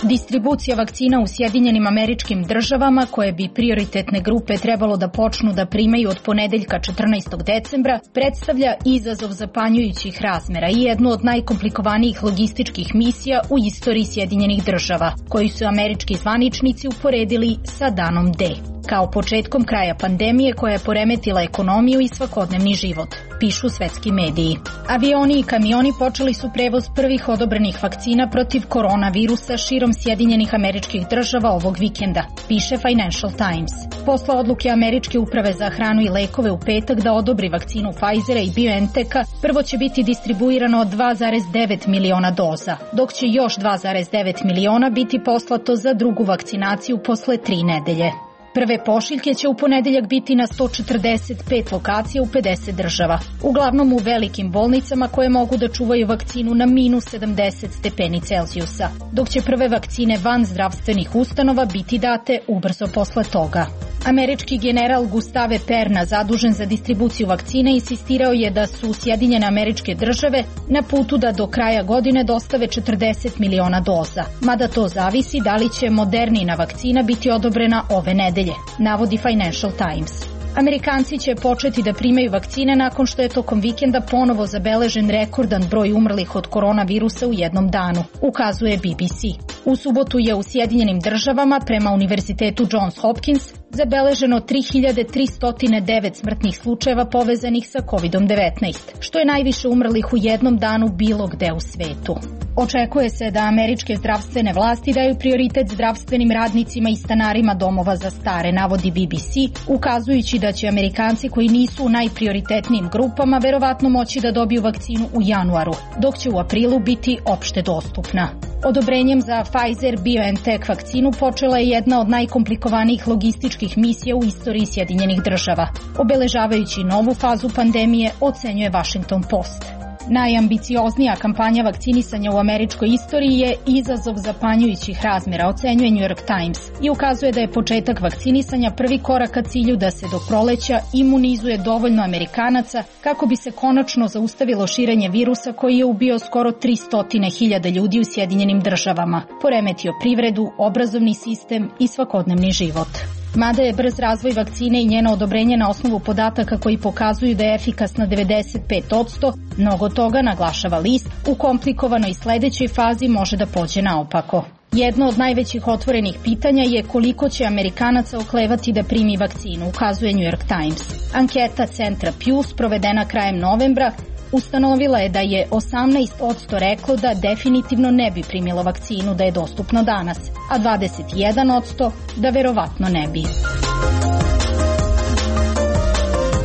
Distribucija vakcina u Sjedinjenim Američkim Državama, koje bi prioritetne grupe trebalo da počnu da primaju od ponedeljka četrnaestog decembra, predstavlja izazov zapanjujućih razmera i jednu od najkomplikovanijih logističkih misija u istoriji Sjedinjenih Država, koju su američki zvaničnici uporedili sa danom D, kao početkom kraja pandemije koja je poremetila ekonomiju i svakodnevni život. pišu svetski mediji. Avioni i kamioni počeli su prevoz prvih odobrenih vakcina protiv koronavirusa širom Sjedinjenih Američkih Država ovog vikenda, piše Financial Times. Posle odluke Američke uprave za hranu i lekove u petak da odobri vakcinu Pfizera i BioNTecha, prvo će biti distribuirano dva zarez devet miliona doza, dok će još dva zarez devet miliona biti poslato za drugu vakcinaciju posle tri nedelje. Prve pošiljke će u ponedeljak biti na sto četrdeset pet lokacija u pedeset država, uglavnom u velikim bolnicama koje mogu da čuvaju vakcinu na minus sedamdeset stepeni Celzijusa, dok će prve vakcine van zdravstvenih ustanova biti date ubrzo posle toga. Američki general Gustave Perna, zadužen za distribuciju vakcine, insistirao je da su Sjedinjene Američke Države na putu da do kraja godine dostave četrdeset miliona doza, mada to zavisi da li će Modernina vakcina biti odobrena ove nedelje, navodi Financial Times. Amerikanci će početi da primaju vakcine nakon što je tokom vikenda ponovo zabeležen rekordan broj umrlih od koronavirusa u jednom danu, ukazuje B B C. U subotu je u Sjedinjenim Državama prema Univerzitetu Johns Hopkins zabeleženo tri hiljade tristo devet smrtnih slučajeva povezanih sa kovid devetnaest, što je najviše umrlih u jednom danu bilo gde u svetu. Očekuje se da američke zdravstvene vlasti daju prioritet zdravstvenim radnicima i stanarima domova za stare, navodi B B C, ukazujući da će Amerikanci koji nisu u najprioritetnijim grupama verovatno moći da dobiju vakcinu u januaru, dok će u aprilu biti opšte dostupna. Odobrenjem za Pfizer-BioNTech vakcinu počela je jedna od najkomplikovanijih logističkih misija u istoriji Sjedinjenih Država, obeležavajući novu fazu pandemije, ocenjuje Washington Post. Najambicioznija kampanja vakcinisanja u američkoj istoriji je izazov zapanjujućih razmera, ocenjuje New York Times, i ukazuje da je početak vakcinisanja prvi korak ka cilju da se do proleća imunizuje dovoljno Amerikanaca kako bi se konačno zaustavilo širenje virusa koji je ubio skoro tristo hiljada ljudi u Sjedinjenim Državama, poremetio privredu, obrazovni sistem i svakodnevni život. Mada je brz razvoj vakcine i njeno odobrenje na osnovu podataka koji pokazuju da je efikasna devedeset pet posto, mnogo toga, naglašava list, u komplikovanoj sledećoj fazi može da pođe naopako. Jedno od najvećih otvorenih pitanja je koliko će Amerikanaca oklevati da primi vakcinu, ukazuje New York Times. Anketa centra Pew, provedena krajem novembra, ustanovila je da je osamnaest posto reklo da definitivno ne bi primilo vakcinu da je dostupno danas, a dvadeset jedan posto da verovatno ne bi.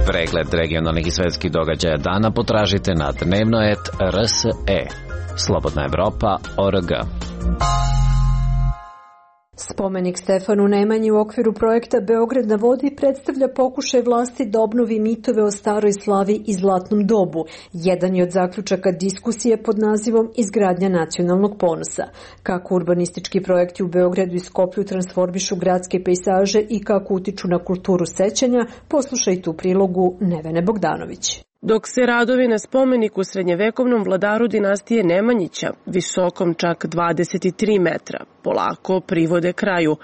Pregled regionalnih i svetskih događaja dana potražite na dnevno et r s e. Slobodna Evropa точка org. Spomenik Stefanu Nemanji u okviru projekta Beograd na vodi predstavlja pokušaj vlasti da obnovi mitove o staroj slavi i zlatnom dobu. Jedan je od zaključaka diskusije pod nazivom Izgradnja nacionalnog ponosa. Kako urbanistički projekti u Beogradu i Skoplju transformišu gradske pejsaže i kako utiču na kulturu sećanja, poslušajte u prilogu Nevene Bogdanović. Dok se radovi na spomeniku srednjevekovnom vladaru dinastije Nemanjića, visokom čak dvadeset tri metra, polako privode kraju,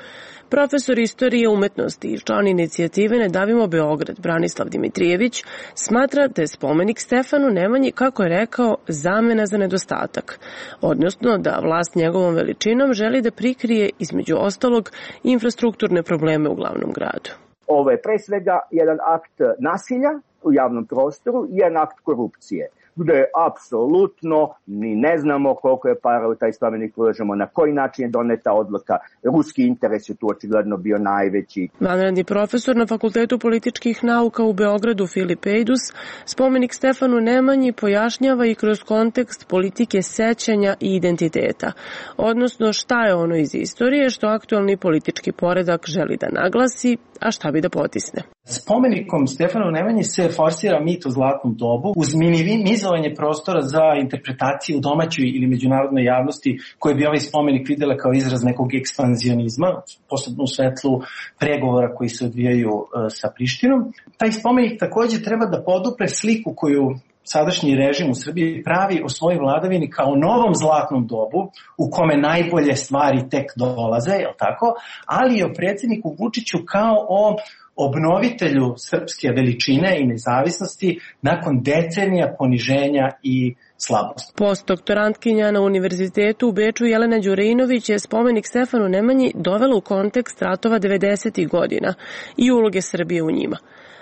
profesor istorije umetnosti i član inicijative Ne davimo Beograd, Branislav Dimitrijević, smatra da je spomenik Stefanu Nemanji, kako je rekao, zamena za nedostatak, odnosno da vlast njegovom veličinom želi da prikrije, između ostalog, infrastrukturne probleme u glavnom gradu. Ovo je pre svega jedan akt nasilja u javnom prostoru i jedan akt korupcije, gde apsolutno ni ne znamo koliko je para u taj spomenik ulažemo, na koji način je doneta odluka. Ruski interes je tu očigledno bio najveći. Vanredni profesor na Fakultetu političkih nauka u Beogradu Filip Ejdus spomenik Stefanu Nemanji pojašnjava i kroz kontekst politike sećanja i identiteta, odnosno šta je ono iz istorije što aktualni politički poredak želi da naglasi, a šta bi da potisne. Spomenikom Stefanu Nemanji se forsira mit o zlatnom dobu uz minimizovanje prostora za interpretaciju u domaćoj ili međunarodnoj javnosti koje bi ovaj spomenik videla kao izraz nekog ekspanzionizma, posebno u svetlu pregovora koji se odvijaju sa Prištinom. Taj spomenik takođe treba da podupre sliku koju sadašnji režim u Srbiji pravi o svojoj vladavini kao novom zlatnom dobu u kome najbolje stvari tek dolaze, je li tako? Ali i o predsjedniku Vučiću kao o obnovitelju srpske veličine i nezavisnosti nakon decenija poniženja i slabost. Postdoktorantkinja na Univerzitetu u Beču Jelena Đurejinović je spomenik Stefanu Nemanji dovela u kontekst ratova devedesetih godina i uloge Srbije u njima.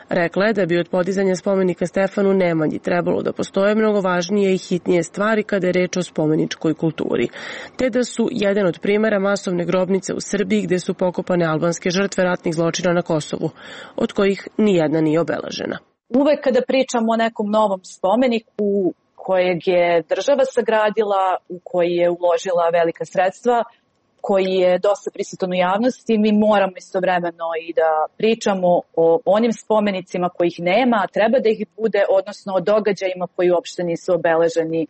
Rekla je da bi od podizanja spomenika Stefanu Nemanji trebalo da postoje mnogo važnije i hitnije stvari kada je reč o spomeničkoj kulturi, te da su jedan od primera masovne grobnice u Srbiji gde su pokopane albanske žrtve ratnih zločina na Kosovu, od kojih nijedna nije obeležena. Uvek kada pričamo o nekom novom spomeniku kojeg je država sagradila, u koji je uložila velika sredstva, koji je dosta prisutan u javnosti, mi moramo istovremeno i da pričamo o onim spomenicima kojih nema, a treba da ih bude, odnosno o događajima koji uopšte nisu obeleženi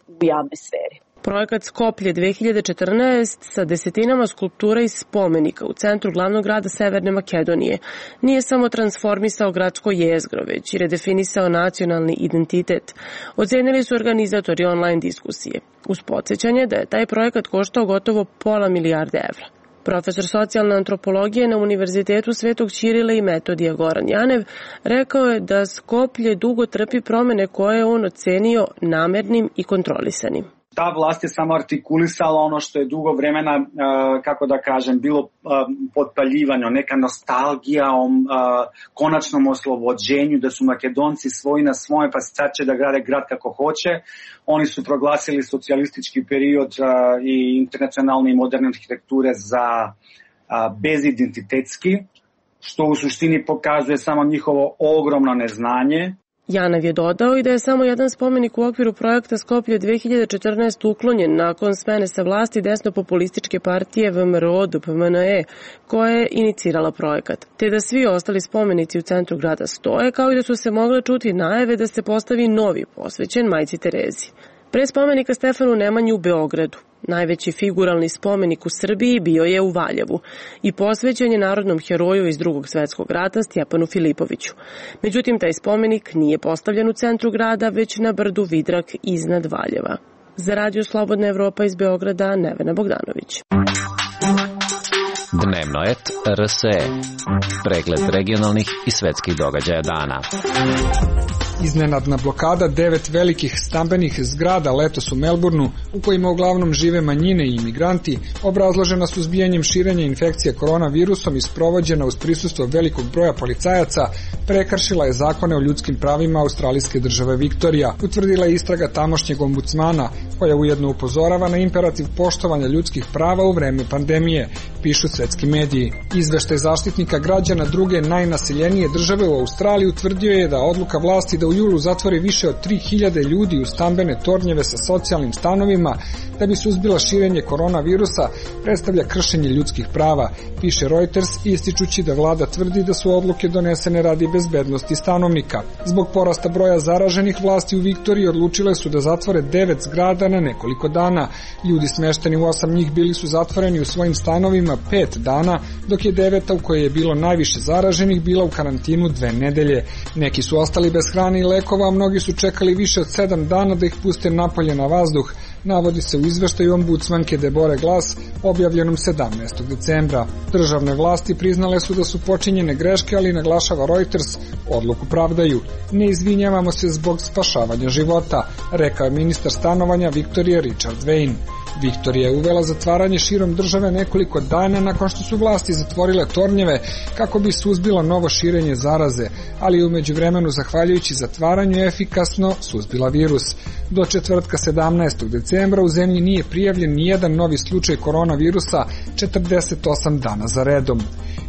u javnoj sferi. Projekat Skoplje dve hiljade četrnaest sa desetinama skulptura i spomenika u centru glavnog grada Severne Makedonije nije samo transformisao gradsko jezgro, već i redefinisao nacionalni identitet. Ocenili su organizatori online diskusije, uz podsjećanje da je taj projekat koštao gotovo pola milijarde evra. Profesor socijalne antropologije na Univerzitetu Svetog Ćirila i Metodija Goran Janev rekao je da Skoplje dugo trpi promene koje je on ocenio namernim i kontrolisanim. Ta vlast je samo artikulisala ono što je dugo vremena, kako da kažem, bilo potpaljivano, neka nostalgija o konačnom oslobođenju, da su Makedonci svoji na svoje, pa sad će da grade grad kako hoće. Oni su proglasili socijalistički period i internacionalne i moderne arhitekture za bezidentitetski, što u suštini pokazuje samo njihovo ogromno neznanje. Janav je dodao i da je samo jedan spomenik u okviru projekta Skoplje dve hiljade četrnaest uklonjen nakon smene sa vlasti desno-populističke partije V M R O D P M N E, koja je inicirala projekat, te da svi ostali spomenici u centru grada stoje, kao i da su se mogle čuti najave da se postavi novi posvećen Majci Terezi. Pre spomenika Stefanu Nemanji u Beogradu, najveći figuralni spomenik u Srbiji bio je u Valjevu i posvećen je narodnom heroju iz Drugog svetskog rata Stjepanu Filipoviću. Međutim, taj spomenik nije postavljen u centru grada, već na brdu Vidrak iznad Valjeva. Za Radio Slobodna Evropa iz Beograda, Nevena Bogdanović. Dnevno et R S E. Pregled regionalnih i svetskih događaja dana. Iznenadna blokada devet velikih stambenih zgrada letos u Melbourneu, u kojima uglavnom žive manjine i imigranti, obrazložena suzbijanjem širenja infekcije koronavirusom i sprovođena uz prisustvo velikog broja policajaca, prekršila je zakone o ljudskim pravima australijske države Viktorija, utvrdila je istraga tamošnjeg ombudsmana, koja ujedno upozorava na imperativ poštovanja ljudskih prava u vreme pandemije, pišu svetski mediji. Izveštaj zaštitnika građana druge najnaseljenije države u Australiji utvrdio je da odluka vlasti da u julu zatvori više od tri hiljade ljudi u stambene tornjeve sa socijalnim stanovima da bi suzbila širenje koronavirusa predstavlja kršenje ljudskih prava, piše Reuters, ističući da vlada tvrdi da su odluke donesene radi bezbednosti stanovnika. Zbog porasta broja zaraženih, vlasti u Viktoriji odlučile su da zatvore devet zgrada na nekoliko dana. Ljudi smešteni u osam njih bili su zatvoreni u svojim stanovima pet dana, dok je deveta u kojoj je bilo najviše zaraženih bila u karantinu dve nedelje. Neki su ostali bez hrane i lekova, a mnogi su čekali više od sedam dana da ih puste napolje na vazduh, navodi se u izveštaju ombudsmanke Debore Glass, objavljenom sedamnaestog decembra. Državne vlasti priznale su da su počinjene greške, ali naglašava Reuters, odluku pravdaju. Ne izvinjavamo se zbog spašavanja života, rekao je ministar stanovanja Viktorije Richard Wayne. Viktorija je uvela zatvaranje širom države nekoliko dana nakon što su vlasti zatvorile tornjeve kako bi suzbila novo širenje zaraze, ali je u međuvremenu zahvaljujući zatvaranju efikasno suzbila virus. Do četvrtka sedamnaestog decembra u zemlji nije prijavljen nijedan novi slučaj koronavirusa četrdeset osam dana za redom.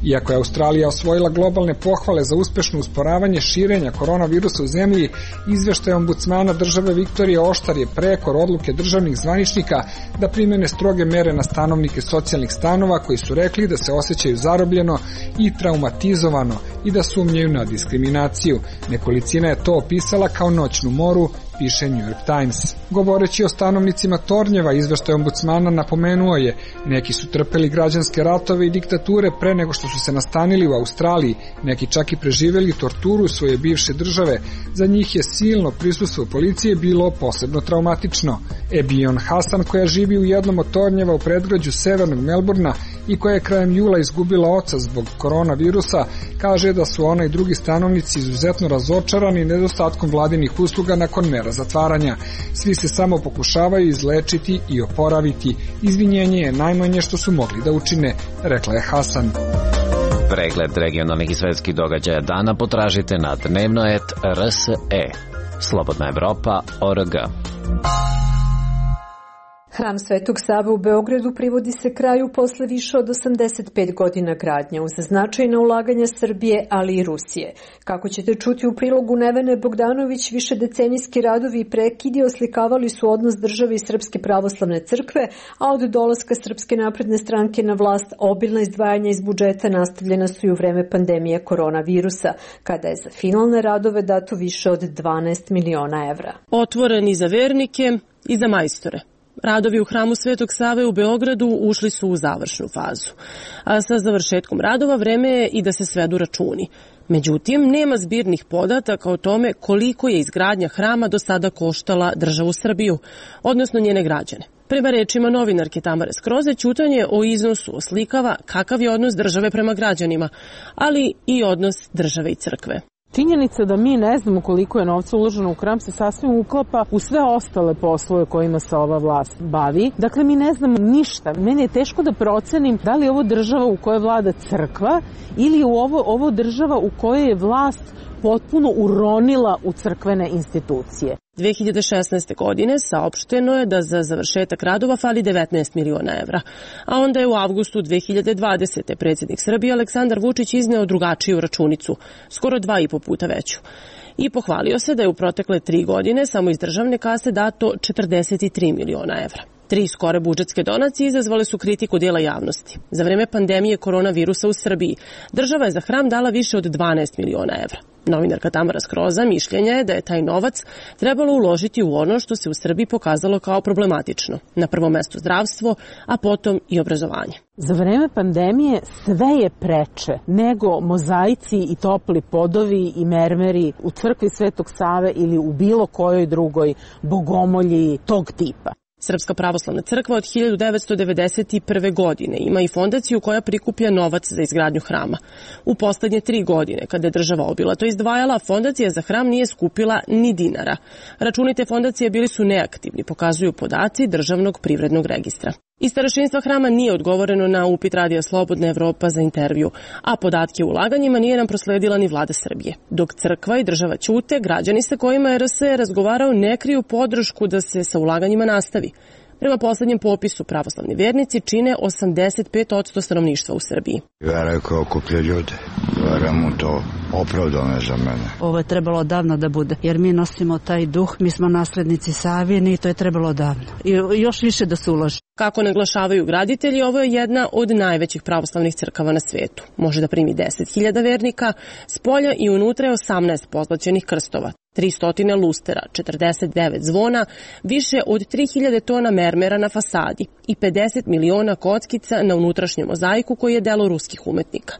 Iako je Australija osvojila globalne pohvale za uspešno usporavanje širenja koronavirusa u zemlji, izveštaj ombudsmana države Viktorije oštar je prekor odluke državnih zvaničnika da primene stroge mere na stanovnike socijalnih stanova koji su rekli da se osjećaju zarobljeno i traumatizovano i da sumnjaju na diskriminaciju. Nekolicina je to opisala kao noćnu moru, piše New York Times. Govoreći o stanovnicima tornjeva, izveštaj ombudsmana napomenuo je, neki su trpeli građanske ratove i diktature pre nego što su se nastanili u Australiji, neki čak i preživeli torturu svoje bivše države, za njih je silno prisustvo policije bilo posebno traumatično. Ebion Hasan, koja živi u jednom od tornjeva u predgrađu severnog Melbourna i koja je krajem jula izgubila oca zbog koronavirusa, kaže da su ona i drugi stanovnici izuzetno razočarani nedostatkom vladinih usluga nakon mera zatvaranja. Svi se samo pokušavaju izlečiti i oporaviti. Izvinjenje je najmanje što su mogli da učine, rekla je Hasan. Pregled regionalnih i svetskih događaja dana potražite na dnevnoet R S E. Slobodna Evropa точка org. Hram Svetog Save u Beogradu privodi se kraju posle više od osamdeset pet godina gradnje uz značajna ulaganja Srbije, ali i Rusije. Kako ćete čuti u prilogu Nevene Bogdanović, višedecenijski radovi i prekidi oslikavali su odnos države i Srpske pravoslavne crkve, a od dolaska Srpske napredne stranke na vlast obilna izdvajanja iz budžeta nastavljena su i u vreme pandemije koronavirusa, kada je za finalne radove dato više od dvanaest miliona evra. Otvoreni za vernike i za majstore. Radovi u Hramu Svetog Save u Beogradu ušli su u završnu fazu. A sa završetkom radova vreme je i da se svedu računi. Međutim, nema zbirnih podataka o tome koliko je izgradnja hrama do sada koštala državu Srbiju, odnosno njene građane. Prema rečima novinarke Tamare Skroze, ćutanje o iznosu oslikava kakav je odnos države prema građanima, ali i odnos države i crkve. Činjenica da mi ne znamo koliko je novca uloženo u hram se sasvim uklapa u sve ostale poslove kojima se ova vlast bavi. Dakle, mi ne znamo ništa. Meni je teško da procenim da li je ovo država u kojoj vlada crkva ili je ovo, ovo država u kojoj je vlast potpuno uronila u crkvene institucije. dve hiljade šesnaeste. godine saopšteno je da za završetak radova fali devetnaest miliona evra, a onda je u avgustu dve hiljade dvadesete. predsjednik Srbije Aleksandar Vučić izneo drugačiju računicu, skoro dva i po puta veću. I pohvalio se da je u protekle tri godine samo iz državne kase dato četrdeset tri miliona evra. Tri skore budžetske donacije izazvale su kritiku dijela javnosti. Za vreme pandemije koronavirusa u Srbiji država je za hram dala više od dvanaest miliona evra. Novinarka Tamara Skroza mišljenja je da je taj novac trebalo uložiti u ono što se u Srbiji pokazalo kao problematično. Na prvom mestu zdravstvo, a potom i obrazovanje. Za vreme pandemije sve je preče nego mozaici i topli podovi i mermeri u crkvi Svetog Save ili u bilo kojoj drugoj bogomolji tog tipa. Srpska pravoslavna crkva od hiljadu devetsto devedeset prve. godine ima i fondaciju koja prikuplja novac za izgradnju hrama. U poslednje tri godine, kada je država obilato izdvajala, fondacija za hram nije skupila ni dinara. Računi te fondacije bili su neaktivni, pokazuju podaci Državnog privrednog registra. Iz starešinstva hrama nije odgovoreno na upit Radija Slobodna Evropa za intervju, a podatke o ulaganjima nije nam prosledila ni vlada Srbije. Dok crkva i država ćute, građani sa kojima je R S E razgovarao ne kriju podršku da se sa ulaganjima nastavi. Prema poslednjem popisu, pravoslavni vernici čine osamdeset pet posto stanovništva u Srbiji. Vera koja okuplja ljude. Vera mu to opravdano je za mene. Ovo je trebalo davno da bude, jer mi nosimo taj duh, mi smo naslednici Savini i to je trebalo davno. I još više da se uloži. Kako naglašavaju graditelji, ovo je jedna od najvećih pravoslavnih crkava na svetu. Može da primi deset hiljada vernika, s polja i unutra je osamnaest pozlaćenih krstova, tristo lustera, četrdeset devet zvona, više od tri hiljade tona mermera na fasadi i pedeset miliona kockica na unutrašnjem mozaiku koji je delo ruskih umetnika.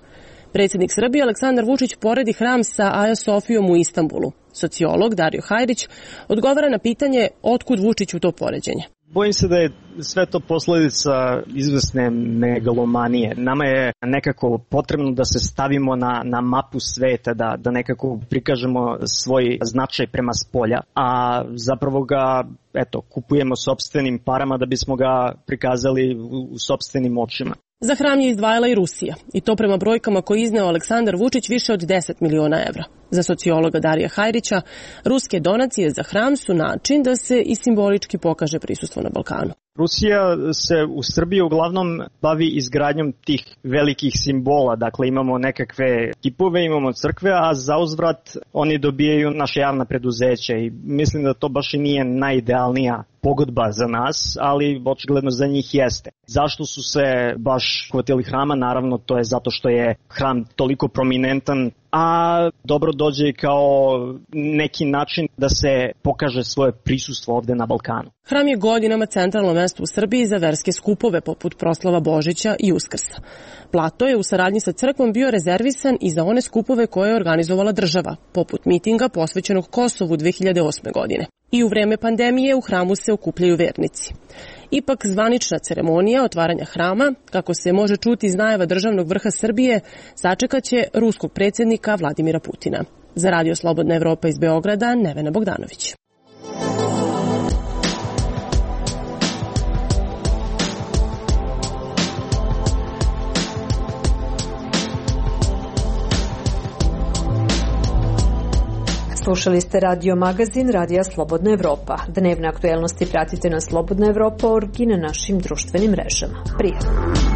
Predsjednik Srbije Aleksandar Vučić poredi hram sa Aja Sofijom u Istanbulu. Sociolog Dario Hajrić odgovara na pitanje otkud Vučiću to poređenje. Bojim se da je sve to posledica izvesne megalomanije. Nama je nekako potrebno da se stavimo na, na mapu sveta, da, da nekako prikažemo svoj značaj prema spolja, a zapravo ga eto, kupujemo sopstvenim parama da bismo ga prikazali u, u sopstvenim očima. Za hram je izdvajala i Rusija, i to prema brojkama koje je izneo Aleksandar Vučić više od deset miliona evra. Za sociologa Darija Hajrića, ruske donacije za hram su način da se i simbolički pokaže prisustvo na Balkanu. Rusija se u Srbiji uglavnom bavi izgradnjom tih velikih simbola, dakle imamo nekakve kipove, imamo crkve, a za uzvrat oni dobijaju naše javna preduzeća i mislim da to baš i nije najidealnija pogodba za nas, ali očigledno za njih jeste. Zašto su se baš hvatili hrama? Naravno, to je zato što je hram toliko prominentan, a dobro dođe kao neki način da se pokaže svoje prisustvo ovde na Balkanu. Hram je godinama centralno mesto u Srbiji za verske skupove poput proslava Božića i Uskrsa. Plato je u saradnji sa crkvom bio rezervisan i za one skupove koje je organizovala država, poput mitinga posvećenog Kosovu dve hiljade osme. godine. I u vreme pandemije u hramu se okupljaju vernici. Ipak zvanična ceremonija otvaranja hrama, kako se može čuti iz najava državnog vrha Srbije, sačekaće ruskog predsjednika Vladimira Putina. Za Radio Slobodna Evropa iz Beograda, Nevena Bogdanović. Slušali ste radio magazin Radija Slobodna Evropa. Dnevne aktuelnosti pratite na slobodna evropa точка org i na našim društvenim mrežama. Prijatno!